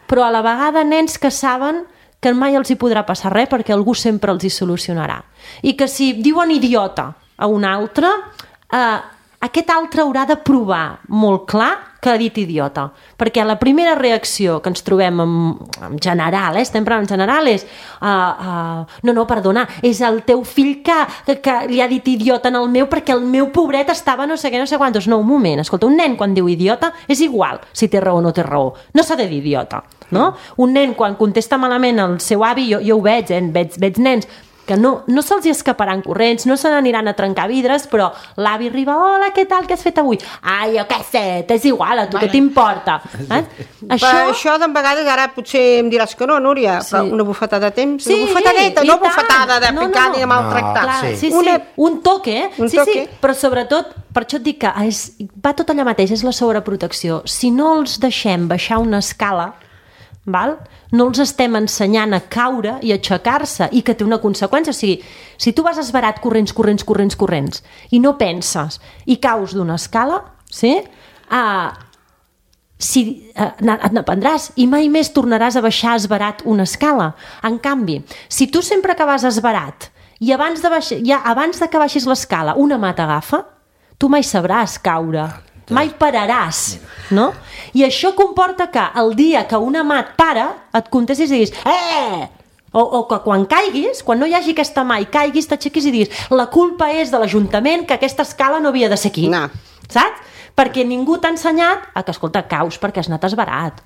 Però a la vegada nens que saben que mai els hi podrà passar res perquè algú sempre els hi solucionarà. I que si diuen idiota a un altre, aquest altre haurà de provar molt clar que ha dit idiota. Perquè la primera reacció que ens trobem en general, estem parlant en general, és no, perdona, és el teu fill que li ha dit idiota en el meu perquè el meu pobret estava no sé què, no sé quantos. No, un moment, escolta, un nen quan diu idiota és igual si té raó o no té raó. No s'ha de dir idiota, no? Un nen quan contesta malament el seu avi, jo ho veig, veig nens que no se'ls hi escaparan corrents, no se n'aniran a trencar vidres, però l'avi arriba, hola, què tal, què has fet avui? Ai, jo què sé, t'és igual, a tu què t'importa? Això de vegades, ara potser em diràs que no, Núria, però una bufetada de temps, una bufetadeta, no bufetada de picar ni de maltractar. Sí, un toque, sí, però sobretot, per això et dic que va tot allà mateix, és la sobreprotecció. Si no els deixem baixar una escala, no els estem ensenyant a caure i a aixecar-se i que té una conseqüència, o sigui, si tu vas esverat corrents i no penses i caus d'una escala, sí? et n'aprendràs i mai més tornaràs a baixar esverat una escala. En canvi, si tu sempre que vas esverat i abans de que baixis l'escala una mà t'agafa, tu mai sabràs caure, mai pararàs, no? I això comporta que el dia que una mà et para, et contestis i diguis o que quan caiguis, quan no hi hagi aquesta mà i caiguis, t'aixequis i diguis la culpa és de l'Ajuntament que aquesta escala no havia de ser aquí, saps? Perquè ningú t'ha ensenyat que, escolta, caus perquè has anat esverat.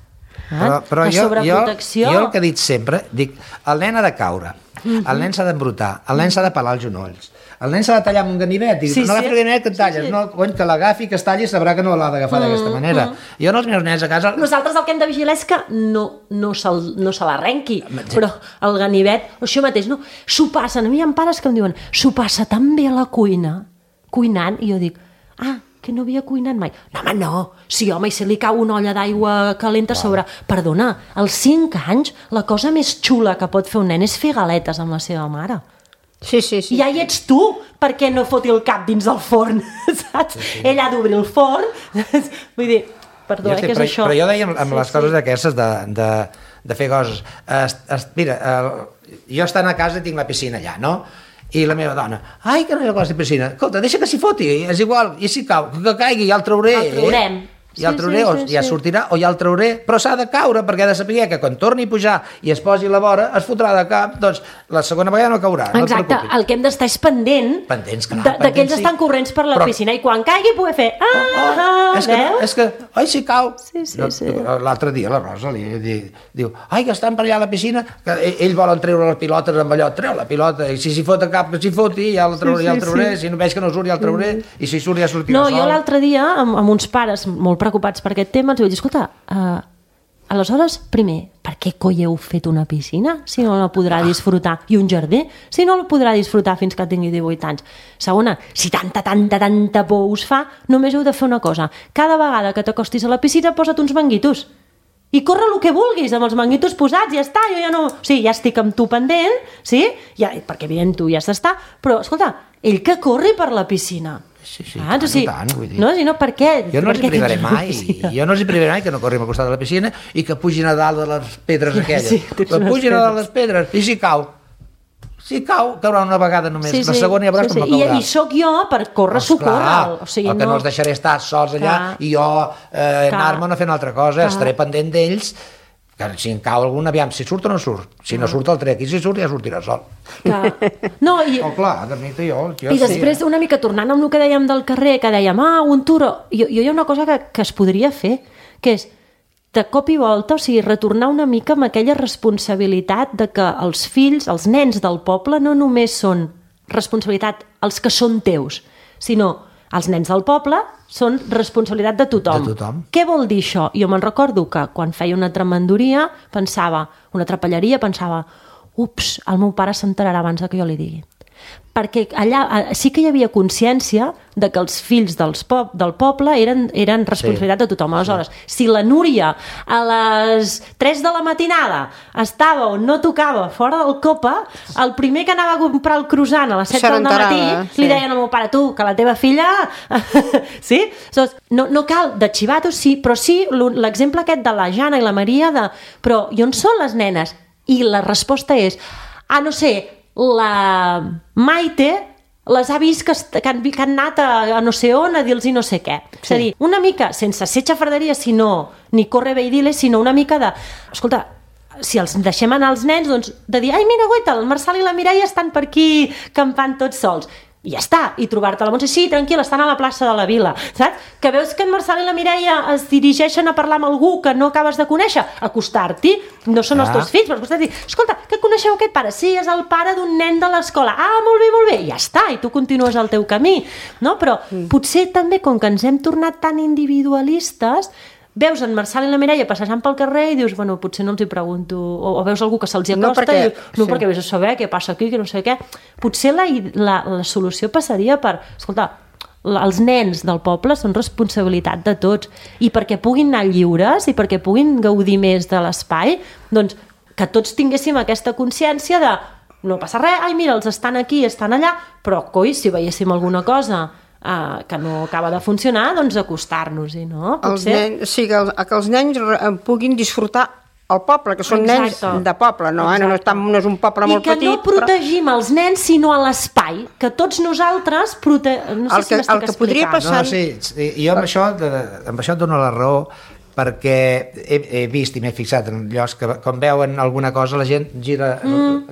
Però jo el que he dit sempre, dic, el nen ha de caure, el nen s'ha d'embrutar, el nen s'ha de pelar els genolls, el nen s'ha de tallar amb un ganivet, no agafi el ganivet que et talles, no, que l'agafi, que es talli, sabrà que no l'ha d'agafar d'aquesta manera. Jo els meus nens a casa... Nosaltres el que hem de vigilar és que no se l'arrenqui, però el ganivet, això mateix, no? S'ho passen, a mi hi ha pares que em diuen, s'ho passa tan bé a la cuina, cuinant, i jo dic, que no havia cuinat mai. No, home, no. Sí, home, i se li cau una olla d'aigua calenta a sobre. Perdona, als 5 anys, la cosa més xula que pot fer un nen és fer galetes amb la seva mare. Sí. I ja hi ets tu, perquè no foti el cap dins el forn, saps? Ell ha d'obrir el forn. Vull dir, perdó, què és això? Però jo deia amb les coses aquestes de fer coses. Mira, jo estant a casa tinc la piscina allà, no? I la meva dona, que no hi ha cosa de piscina, escolta, deixa que s'hi foti, és igual, i si cau, que caigui, ja el trauré. El traurem. Ja el trauré, ja sortirà, o ja el trauré, però s'ha de caure, perquè ha de saber que quan torni a pujar i es posi a la vora, es fotrà de cap, doncs la segona vegada no caurà. Exacte, el que hem d'estar és pendents d'aquells estan corrents per la piscina, i quan caigui poder fer, és que, si cau. L'altre dia la Rosa diu, que estan per allà a la piscina, que ells volen treure les pilotes amb allò, treu la pilota, i si s'hi fot a cap que s'hi foti, ja el trauré, si no veig que no surt ja el trauré, i si surt ja sortirà sol. No, jo l'altre dia, amb uns pares molt preocupats per aquest tema, els vaig dir, escolta, aleshores, primer, per què coi heu fet una piscina si no la podrà disfrutar? I un jardí, si no la podrà disfrutar fins que tingui 18 anys? Segona, si tanta por us fa, només heu de fer una cosa. Cada vegada que t'acostis a la piscina, posa't uns manguitos. I corre el que vulguis, amb els manguitos posats, ja està, jo ja no... Sí, ja estic amb tu pendent, sí? Perquè evident tu ja has d'estar, però, escolta, ell que corri per la piscina. Sí, tant, vull dir. No, si no, per què? Jo no els hi privaré mai, que no corrim al costat de la piscina i que pugin a dalt de les pedres aquelles. Que pugin a dalt de les pedres, i si cau, caurà una vegada només, la segona ja veuràs com no caurà. I sóc jo per córrer, socorre'l. El que no els deixaré estar sols allà i jo anar-me'n a fer una altra cosa, estaré pendent d'ells, que si en cau algun, aviam, si surt o no surt. Si no surt el trec, i si surt ja sortirà sol. Clar, de mi jo i després, una mica tornant amb el que dèiem del carrer, que dèiem, un turo, jo hi ha una cosa que es podria fer, que és, de cop i volta, o sigui, retornar una mica amb aquella responsabilitat de que els fills, els nens del poble, no només són responsabilitat els que són teus, sinó els nens del poble són responsabilitat de tothom. Què vol dir això? Jo me'n recordo que quan feia una tremendoria, una trapelleria, pensava, ups, el meu pare s'enterarà abans que jo li digui. Perquè allà sí que hi havia consciència de que els fills del poble eren responsabilitat de tothom. Aleshores, si la Núria a les 3 de la matinada estava o no tocava fora del Copa, el primer que anava a comprar el croissant a les 7 del matí li deien al meu pare, tu, que la teva filla... Sí? No cal de xivatos, sí, però sí l'exemple aquest de la Jana i la Maria però i on són les nenes? I la resposta és, no sé, la Maite les ha vist que han anat a no sé on a dir-los no sé què. És a dir, una mica, sense ser xafarderia, ni corre bé i dir-les, sinó una mica de... Escolta, si els deixem anar els nens, doncs de dir, mira, guaita, el Marçal i la Mireia estan per aquí campant tots sols. I ja està, i trobar-te la Montse, sí, tranquil, estan a la plaça de la Vila, saps? Que veus que en Marçal i la Mireia es dirigeixen a parlar amb algú que no acabes de conèixer, acostar-t'hi, no són els teus fills, però acostar-t'hi, escolta, que coneixeu aquest pare? Sí, és el pare d'un nen de l'escola, molt bé, i ja està, i tu continues el teu camí, no? Però potser també, com que ens hem tornat tan individualistes, veus en Marçal i la Mireia passejant pel carrer i dius, bueno, potser no els hi pregunto, o veus algú que se'ls acosta i dius, perquè vés a saber què passa aquí, que no sé què. Potser la solució passaria per, escolta, els nens del poble són responsabilitat de tots, i perquè puguin anar lliures i perquè puguin gaudir més de l'espai, doncs que tots tinguéssim aquesta consciència de no passa res, mira, els estan aquí, estan allà, però coi, si veiéssim alguna cosa que no acaba de funcionar, doncs acostar-nos-hi, no? Que els nens puguin disfrutar el poble, que són nens de poble, no és un poble molt petit. I que no protegim els nens, sinó a l'espai, que tots nosaltres no sé si m'estic explicant. No, sí, jo amb això et dono la raó, perquè he vist i m'he fixat en llocs que quan veuen alguna cosa la gent gira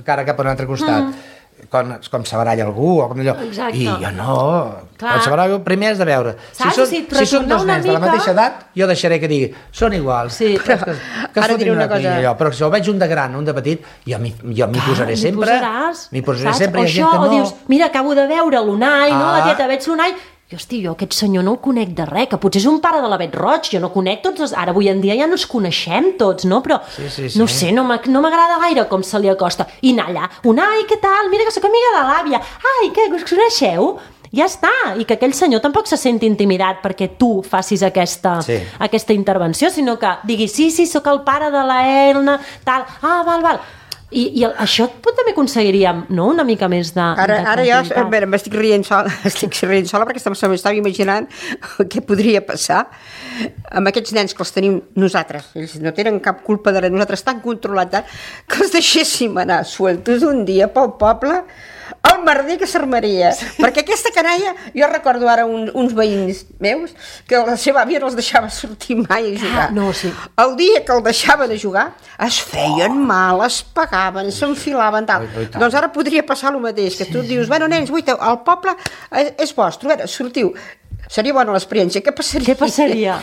cara cap a un altre costat, com se baralla algú o com allò. Exacte. I jo no, quan se baralla primer has de veure si són dos nens de la mateixa edat, jo deixaré que digui són iguals, ara diré una cosa, però si el veig un de gran, un de petit, jo m'hi posaré sempre, m'hi posaràs, o això, o dius, mira, acabo de veure l'Unai, la tieta, veig l'Unai, i hosti, jo aquest senyor no el conec de res, que potser és un pare de la Bet Roig, jo no conec tots, ara avui en dia ja no ens coneixem tots, no? Però no sé, no m'agrada gaire com se li acosta. I anar allà, Unai, què tal? Mira que sóc amiga de l'àvia. Ai, què, us coneixeu? Ja està, i que aquell senyor tampoc se senti intimidat perquè tu facis aquesta intervenció, sinó que diguis, sí, sóc el pare de la Elna, tal, val. I això també aconseguiríem, no?, una mica més de Ara jo m'estic rient sola perquè m'estava imaginant què podria passar amb aquests nens que els tenim nosaltres. Ells no tenen cap culpa de res, nosaltres tan controlats que els deixéssim anar sueltos un dia pel poble, el merder que s'armaria. Perquè aquesta canalla, jo recordo ara uns veïns meus que la seva àvia no els deixava sortir mai a jugar. El dia que el deixaven a jugar es feien mal, es pagaven, s'enfilaven, tal. Doncs ara podria passar el mateix, que tu dius, bueno, nens, el poble és vostre, sortiu. Seria bona l'experiència. Què passaria?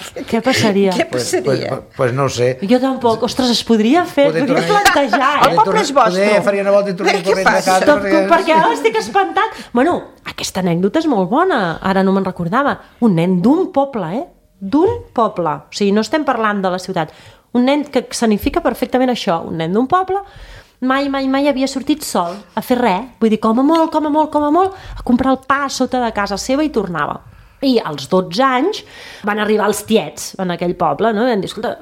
Pues no ho sé. Jo tampoc. Ostres, es podria fer, podria plantejar, El poble és vostre. Faria una volta i tornaria corrents de casa. Perquè ara estic espantat. Bueno, aquesta anècdota és molt bona. Ara no me'n recordava. Un nen d'un poble, d'un poble. O sigui, no estem parlant de la ciutat. Un nen que significa perfectament això. Un nen d'un poble mai havia sortit sol a fer res. Vull dir, com a molt, a comprar el pa sota de casa seva i tornava. I als 12 anys van arribar els tiets en aquell poble, no? I van dir, escolta,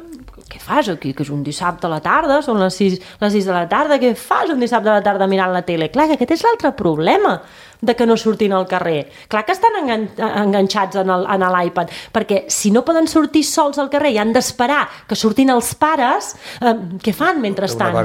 què fas aquí? Que és un dissabte a la tarda, són les 6 de la tarda, què fas un dissabte a la tarda mirant la tele? Clar, que aquest és l'altre problema de que no surtin al carrer. Clar que estan enganxats en l'iPad, perquè si no poden sortir sols al carrer i han d'esperar que surtin els pares, què fan mentrestant?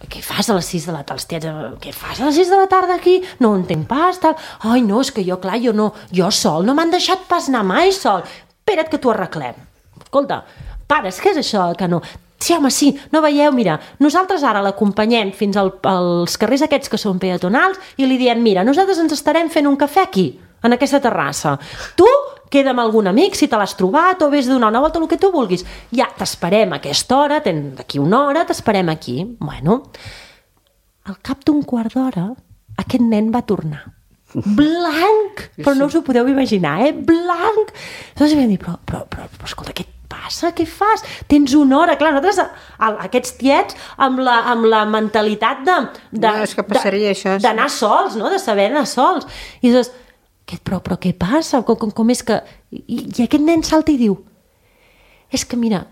Què fas a les 6 de la tarda? Els tiets, què fas a les 6 de la tarda aquí? No ho entenc pas, tal. Ai, no, és que jo sol, no m'han deixat pas anar mai sol. Espera't que t'ho arreglem. Escolta, pares, què és això que no... Sí, home, sí, no veieu? Mira, nosaltres ara l'acompanyem fins als carrers aquests que són peatonals i li diem, mira, nosaltres ens estarem fent un cafè aquí, en aquesta terrassa. Tu queda amb algun amic, si te l'has trobat, o vés a donar una volta, el que tu vulguis. Ja, t'esperem a aquesta hora, d'aquí una hora, t'esperem aquí. Bueno, al cap d'un quart d'hora, aquest nen va tornar. Blanc! Però no us ho podeu imaginar, Blanc! Llavors vam dir, però escolta, què passa? Què fas? Tens una hora. Clar, nosaltres, aquests tiets, amb la mentalitat d'anar sols, no? De saber anar sols. I dius, però què passa? Com és que... I aquest nen salta i diu, és que mira,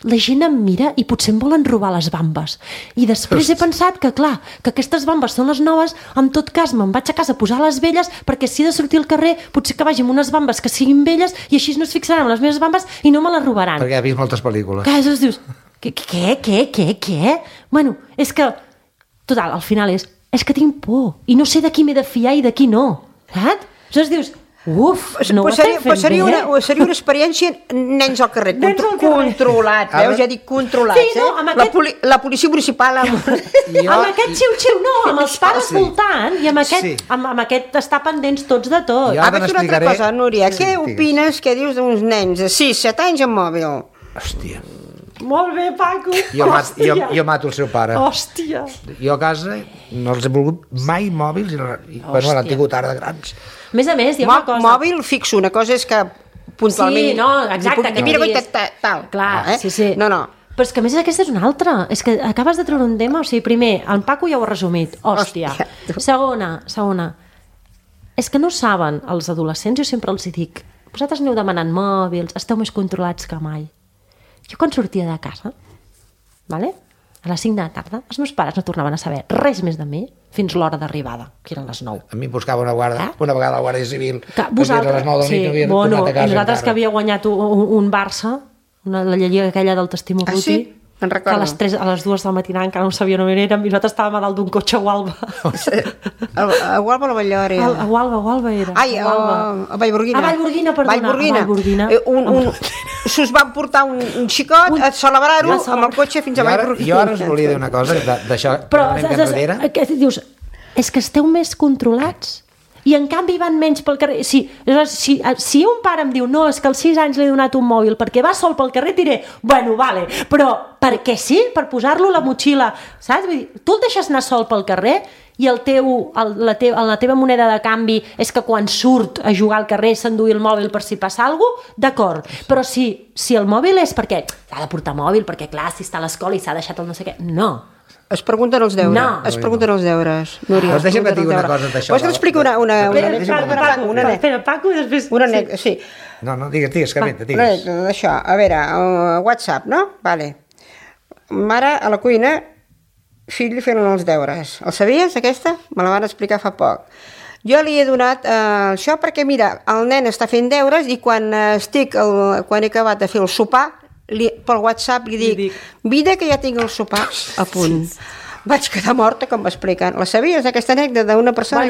la gent em mira i potser em volen robar les bambes. I després he pensat que, clar, que aquestes bambes són les noves, en tot cas me'n vaig a casa a posar les velles, perquè si he de sortir al carrer, potser que vagi amb unes bambes que siguin velles i així no es fixaran en les meves bambes i no me les robaran. Perquè ha vist moltes pel·lícules. Clar, llavors dius, què? Bueno, és que, total, al final és que tinc por i no sé de qui m'he de fiar i de qui no. Saps? Llavors dius, no ho estem fent bé. Seria una experiència nens al carrer, controlat, veus? Ja dic controlats, sí, no, la policia municipal amb aquest xiu-xiu, no, amb els pares voltant i amb aquest estar pendents tots de tot. Ara una altra cosa, Núria, què opines, què dius d'uns nens de 6-7 anys amb mòbil? Hòstia. Molt bé, Paco. Jo mato el seu pare. Hòstia. Jo a casa no els he volgut mai mòbils i l'han tingut ara de grans. A més, hi ha una cosa... Mòbil fixo, una cosa és que puntualment... Sí, no, exacte. Mira, tal. Clar, sí. No. Però és que a més aquesta és una altra. És que acabes de treure un tema, o sigui, primer, en Paco ja ho ha resumit. Hòstia. Segona. És que no saben, els adolescents, jo sempre els dic, vosaltres aneu demanant mòbils, esteu més controlats que mai. Jo quan sortia de casa, vale? a les 5 de la tarda, els meus pares no tornaven a saber res més de mi fins l'hora d'arribada, que eren les 9. A mi em buscava una vegada la Guàrdia Civil, Que a les 9 del nit no havia tornat a casa i nosaltres encara. que havia guanyat un Barça, la lliga aquella del Testimo Ruti, sí? Me'n que recordo. a les 2 del matinà encara no sabia on érem i nosaltres estàvem a dalt d'un cotxe a Gualba. A Gualba o a Ballora era? A Gualba era. Ai, a Vallgorguina. A Vallgorguina, perdona. A Vallgorguina. S'us van portar un xicot a celebrar-ho amb el cotxe fins a Vallgorguina. Jo ara us volia dir una cosa, d'això, Però una mica enrere. dius, és que esteu més controlats i en canvi van menys pel carrer. Si un pare em diu no, és que als 6 anys li he donat un mòbil perquè va sol pel carrer, diré, bueno, vale, però perquè sí, per posar-lo a la motxilla, saps? Vull dir, tu el deixes anar sol pel carrer i la teva moneda de canvi és que quan surt a jugar al carrer s'enduï el mòbil per si passa alguna cosa, d'acord, però si el mòbil és perquè ha de portar mòbil, perquè clar, si està a l'escola i s'ha deixat el no sé què, no. Es pregunten els deures. No. Es pregunten els deures, Núria. Doncs deixa'm que et digui una cosa d'això. Vols que t'expliqui una Espera, Paco, i després... una anècdota, sí. No, digues, Carmeta, Una digues. anècdota d'això. A veure, WhatsApp, no? Vale. Mare a la cuina, fill fent els deures. El sabies, aquesta? Me la van explicar fa poc. Jo li he donat això perquè, mira, el nen està fent deures i quan he acabat de fer el sopar, pel WhatsApp li dic, vida que ja tinc el sopar a punt. Vaig quedar morta com m'expliquen. La sabies, aquesta anècdota d'una persona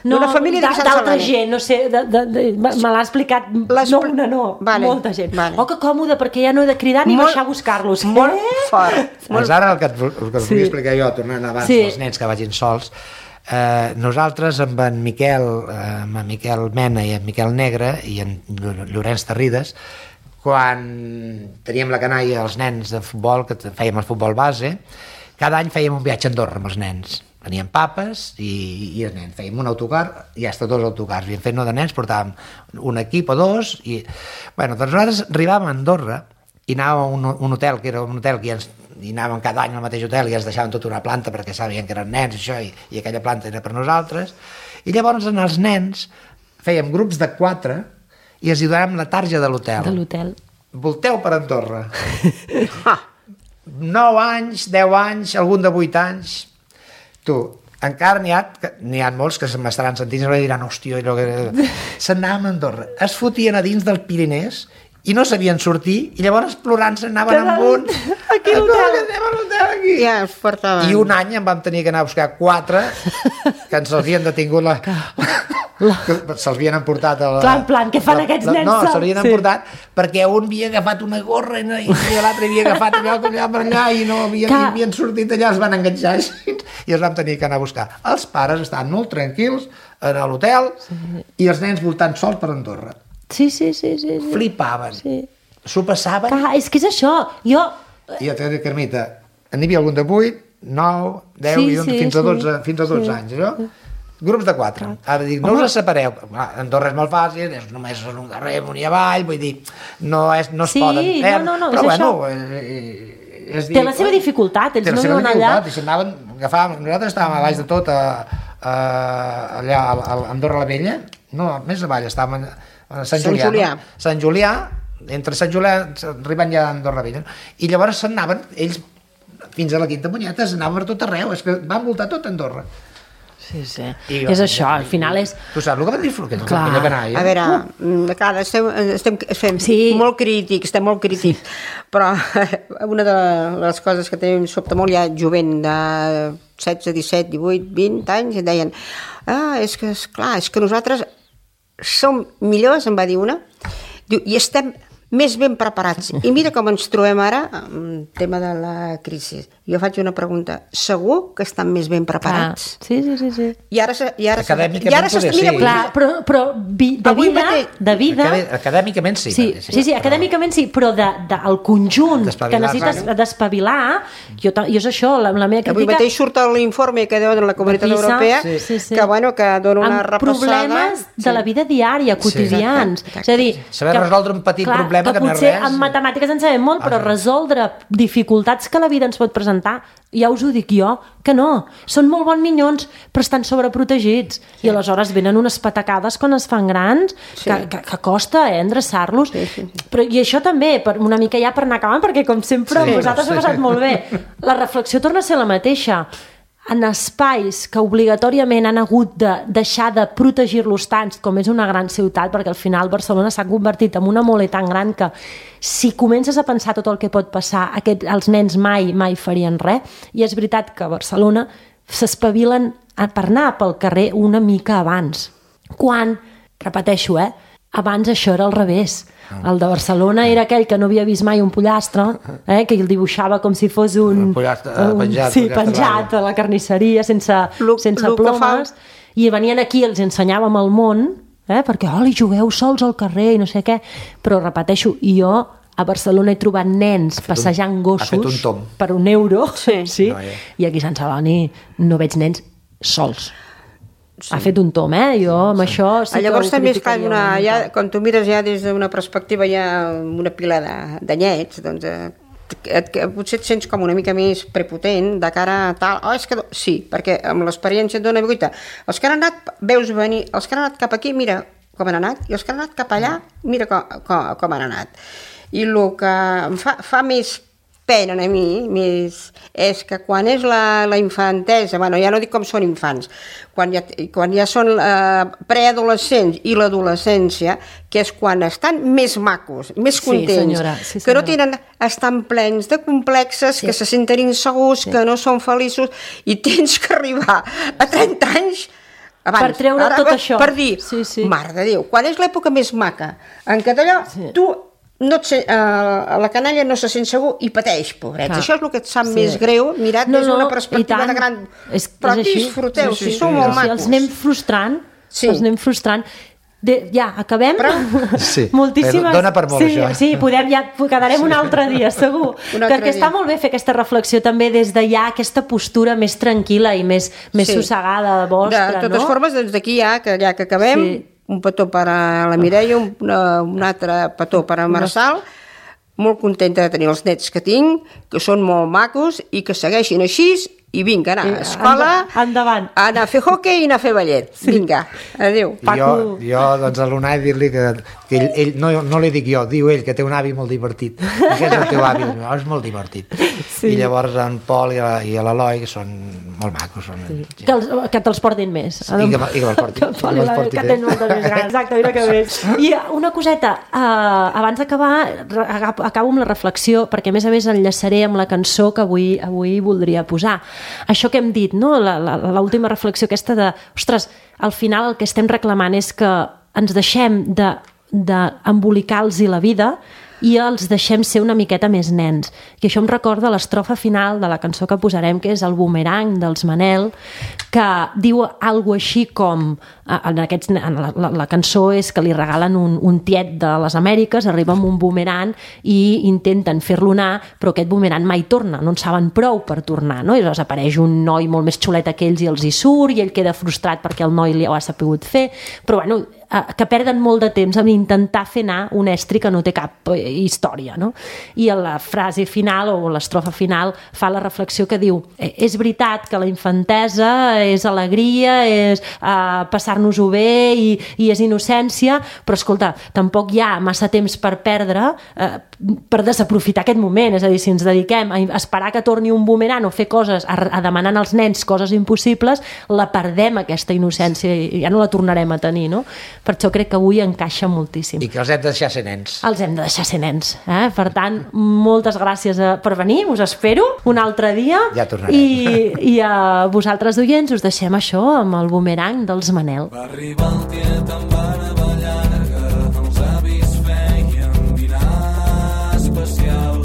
d'una família de Sant d'altra Celoni? gent, no sé, me l'ha explicat molta gent. Vale. Oh, que còmode, perquè ja no he de cridar ni baixar a buscar-los. Molt fort. Doncs ara el que us volia explicar jo, tornant abans dels nens que vagin sols, nosaltres amb en Miquel Mena i en Miquel Negre i en Llorenç Terrides, quan teníem la canalla els nens de futbol, que fèiem el futbol base, cada any fèiem un viatge a Andorra amb els nens. Venien papes i els nens. Fèiem un autocar i hasta 2 autocars. Havíem fet no de nens, portàvem un equip o 2 i... Bueno, doncs nosaltres arribàvem a Andorra i anàvem a un hotel, que era un hotel que i anàvem cada any al mateix hotel i ens deixaven tota una planta perquè sabien que eren nens això, i aquella planta era per nosaltres. I llavors els nens fèiem grups de 4 i els hi donàvem la tarja de l'hotel. Volteu per Andorra. 9 anys, 10 anys, algun de 8 anys. Tu, encara n'hi ha molts que se m'estaran sentint i diran, hòstia, se'n anaven a Andorra. Es fotien a dins del Pirinès i no sabien sortir i llavors plorant se'n anaven amb un... Aquí a l'hotel. Anem a l'hotel aquí. Ja es portaven. I un any en vam tenir que anar a buscar 4 que ens havien detingut se'ls havien emportat en plan, què fan aquests nens? No, se'ls havien emportat perquè un havia agafat una gorra i l'altre havia agafat allà per allà i no havien sortit allà, es van enganxar i els vam tenir que anar a buscar. Els pares estaven molt tranquils a l'hotel i els nens voltant sols per Andorra. Sí. Flipaven. S'ho passaven. Clar, és que és això. I ja t'he dit, Carmeta, n'hi havia algun de 8, 9, 10 fins a 12 anys, allò? Grups de 4. Ara dic, no us separeu. Andorra és molt fàcil, és només un carrer amunt i avall, vull dir, no es poden perdre. No, però és bueno, té la seva dificultat, ells no viuen allà. I s'anaven, nosaltres estàvem a baix de tot, allà a Andorra la Vella, no, més avall, estàvem a Sant Julià. Sant Julià, entre Sant Julià, arribant ja a Andorra la Vella, i llavors s'anaven, ells, fins a la Quinta Munyeta, s'anaven per tot arreu, és que van voltar tot Andorra. Sí. És això, al final és... Tu saps el que va dir aquella canalla? A veure, clar, estem molt crítics, però una de les coses que també em sobta molt, hi ha jovent de 16, 17, 18, 20 anys, i deien, és que nosaltres som millors, em va dir una, i estem més ben preparats. I mira com ens trobem ara amb el tema de la crisi. Jo faig una pregunta. Segur que estan més ben preparats? Sí. I ara acadèmicament sí. Clar, però de vida... Acadèmicament sí. Sí, acadèmicament sí, però del conjunt que necessites despavilar, jo és això, la meva crítica... Avui mateix surt l'informe que deuen la Comunitat Europea, que dona una repassada... Amb problemes de la vida diària, quotidians. És a dir... Saber resoldre un petit problema sembla que no és potser res. en matemàtiques en sabem molt, però resoldre dificultats que la vida ens pot presentar, ja us ho dic jo, que no. Són molt bons minyons, però estan sobreprotegits. I aleshores venen unes patacades quan es fan grans, que costa endreçar-los. Però, i això també, una mica ja per anar acabant, perquè com sempre vosaltres heu passat molt bé. La reflexió torna a ser la mateixa. En espais que obligatòriament han hagut de deixar de protegir-los tant, com és una gran ciutat, perquè al final Barcelona s'ha convertit en una mole tan gran que si comences a pensar tot el que pot passar, els nens mai farien res. I és veritat que a Barcelona s'espavilen per anar pel carrer una mica abans. Quan, repeteixo, abans això era al revés. El de Barcelona era aquell que no havia vist mai un pollastre, que el dibuixava com si fos un pollastre penjat a la carnisseria, sense plomes, i venien aquí, els ensenyàvem el món, perquè, li jugueu sols al carrer i no sé què, però repeteixo, jo a Barcelona he trobat nens passejant gossos per €1, i aquí a Sant Celoni no veig nens sols. Ha fet un tom, jo amb això sí que llavors també és clar, quan tu mires ja des d'una perspectiva ja una pila d'anyets, doncs potser et sents com una mica més prepotent de cara a tal, sí, perquè amb l'experiència et dona guita. Els que han anat, veus venir, els que han anat cap aquí, mira com han anat, i els que han anat cap allà, mira com han anat. I el que em fa més pena a mi és que quan és la infantesa, ja no dic com són infants, quan ja són preadolescents i l'adolescència, que és quan estan més macos, més contents, que no tenen, estan plens de complexes, que se senten insegurs, que no són feliços, i tens que arribar a 30 anys abans, per treure tot això, per dir, mare de Déu, quan és l'època més maca, en què d'allò tu la canalla no se sent segur i pateix, pobrets. Això és el que et sap més greu, mirat des d'una perspectiva de gran... Però disfruteu, si sou molt macos. Els anem frustrant. Ja, acabem? Moltíssimes... Dona per molt, això. Sí, quedarem un altre dia, segur. Perquè està molt bé fer aquesta reflexió també des de ja aquesta postura més tranquil·la i més sossegada vostra, no? De totes formes, des d'aquí ja que acabem... Un petó per a la Mireia, un altre petó per a Marçal, molt contenta de tenir els nets que tinc, que són molt macos i que segueixin així, i vinga, anar a escola, endavant, anar a fer hoquei i anar a fer ballet. Vinga, adéu. Jo doncs, a l'Unai, dir-li que ell, no li dic jo, diu ell que té un avi molt divertit. I que és el teu avi? És molt divertit. I llavors en Pol i l'Eloi, que són molt macos. Que te'ls portin més. I que me'ls portin. Que tens moltes més grans. Exacte, mira que bé. I una coseta, abans d'acabar, acabo amb la reflexió, perquè a més enllaçaré amb la cançó que avui voldria posar. Això que hem dit, no? L'última reflexió aquesta de, ostres, al final el que estem reclamant és que ens deixem d'embolicar-los la vida i els deixem ser una miqueta més nens. I això em recorda l'estrofa final de la cançó que posarem, que és el Boomerang dels Manel, que diu alguna així com... La cançó és que li regalen un tiet de les Amèriques, arriba amb un boomerang i intenten fer-lo anar, però aquest boomerang mai torna, no en saben prou per tornar, no? I llavors apareix un noi molt més xulet que ells i els hi surt, i ell queda frustrat perquè el noi li ho ha sapigut fer, però bueno, que perden molt de temps en intentar fer anar un estri que no té cap història, no? I a la frase final o l'estrofa final fa la reflexió que diu, és veritat que la infantesa és alegria, és passar-nos-ho bé i és innocència, però escolta, tampoc hi ha massa temps per perdre per desaprofitar aquest moment, és a dir, si ens dediquem a esperar que torni un boomerang o fer coses, a demanar als nens coses impossibles, la perdem aquesta innocència i ja no la tornarem a tenir, no? Per això crec que avui encaixa moltíssim. I que els hem de deixar ser nens. Els hem de deixar ser nens. Per tant, moltes gràcies per venir, us espero un altre dia. Ja tornarem. I a vosaltres, oients, us deixem això amb el Boomerang dels Manel. Va arribar el tiet amb vara ballarga, els avis feien dinar especial.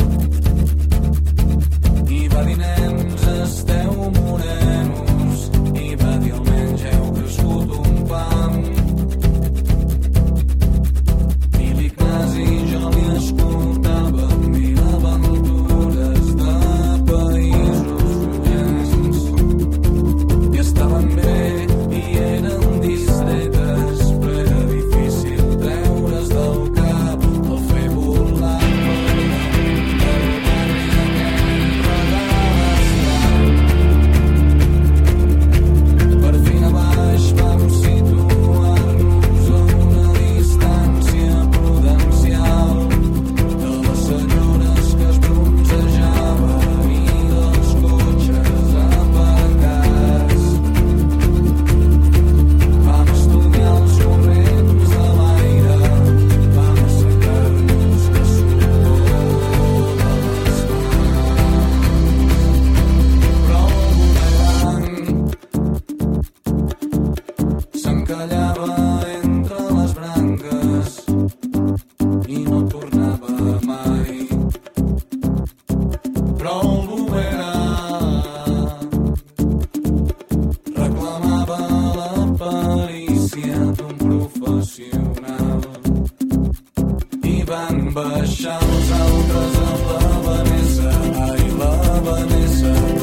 I va dir, nens, esteu morenos, i va dir, almenys heu crescut un pam. Estaven bé i eren discretes, però van baixar els altres amb la Vanessa. Ai, la Vanessa.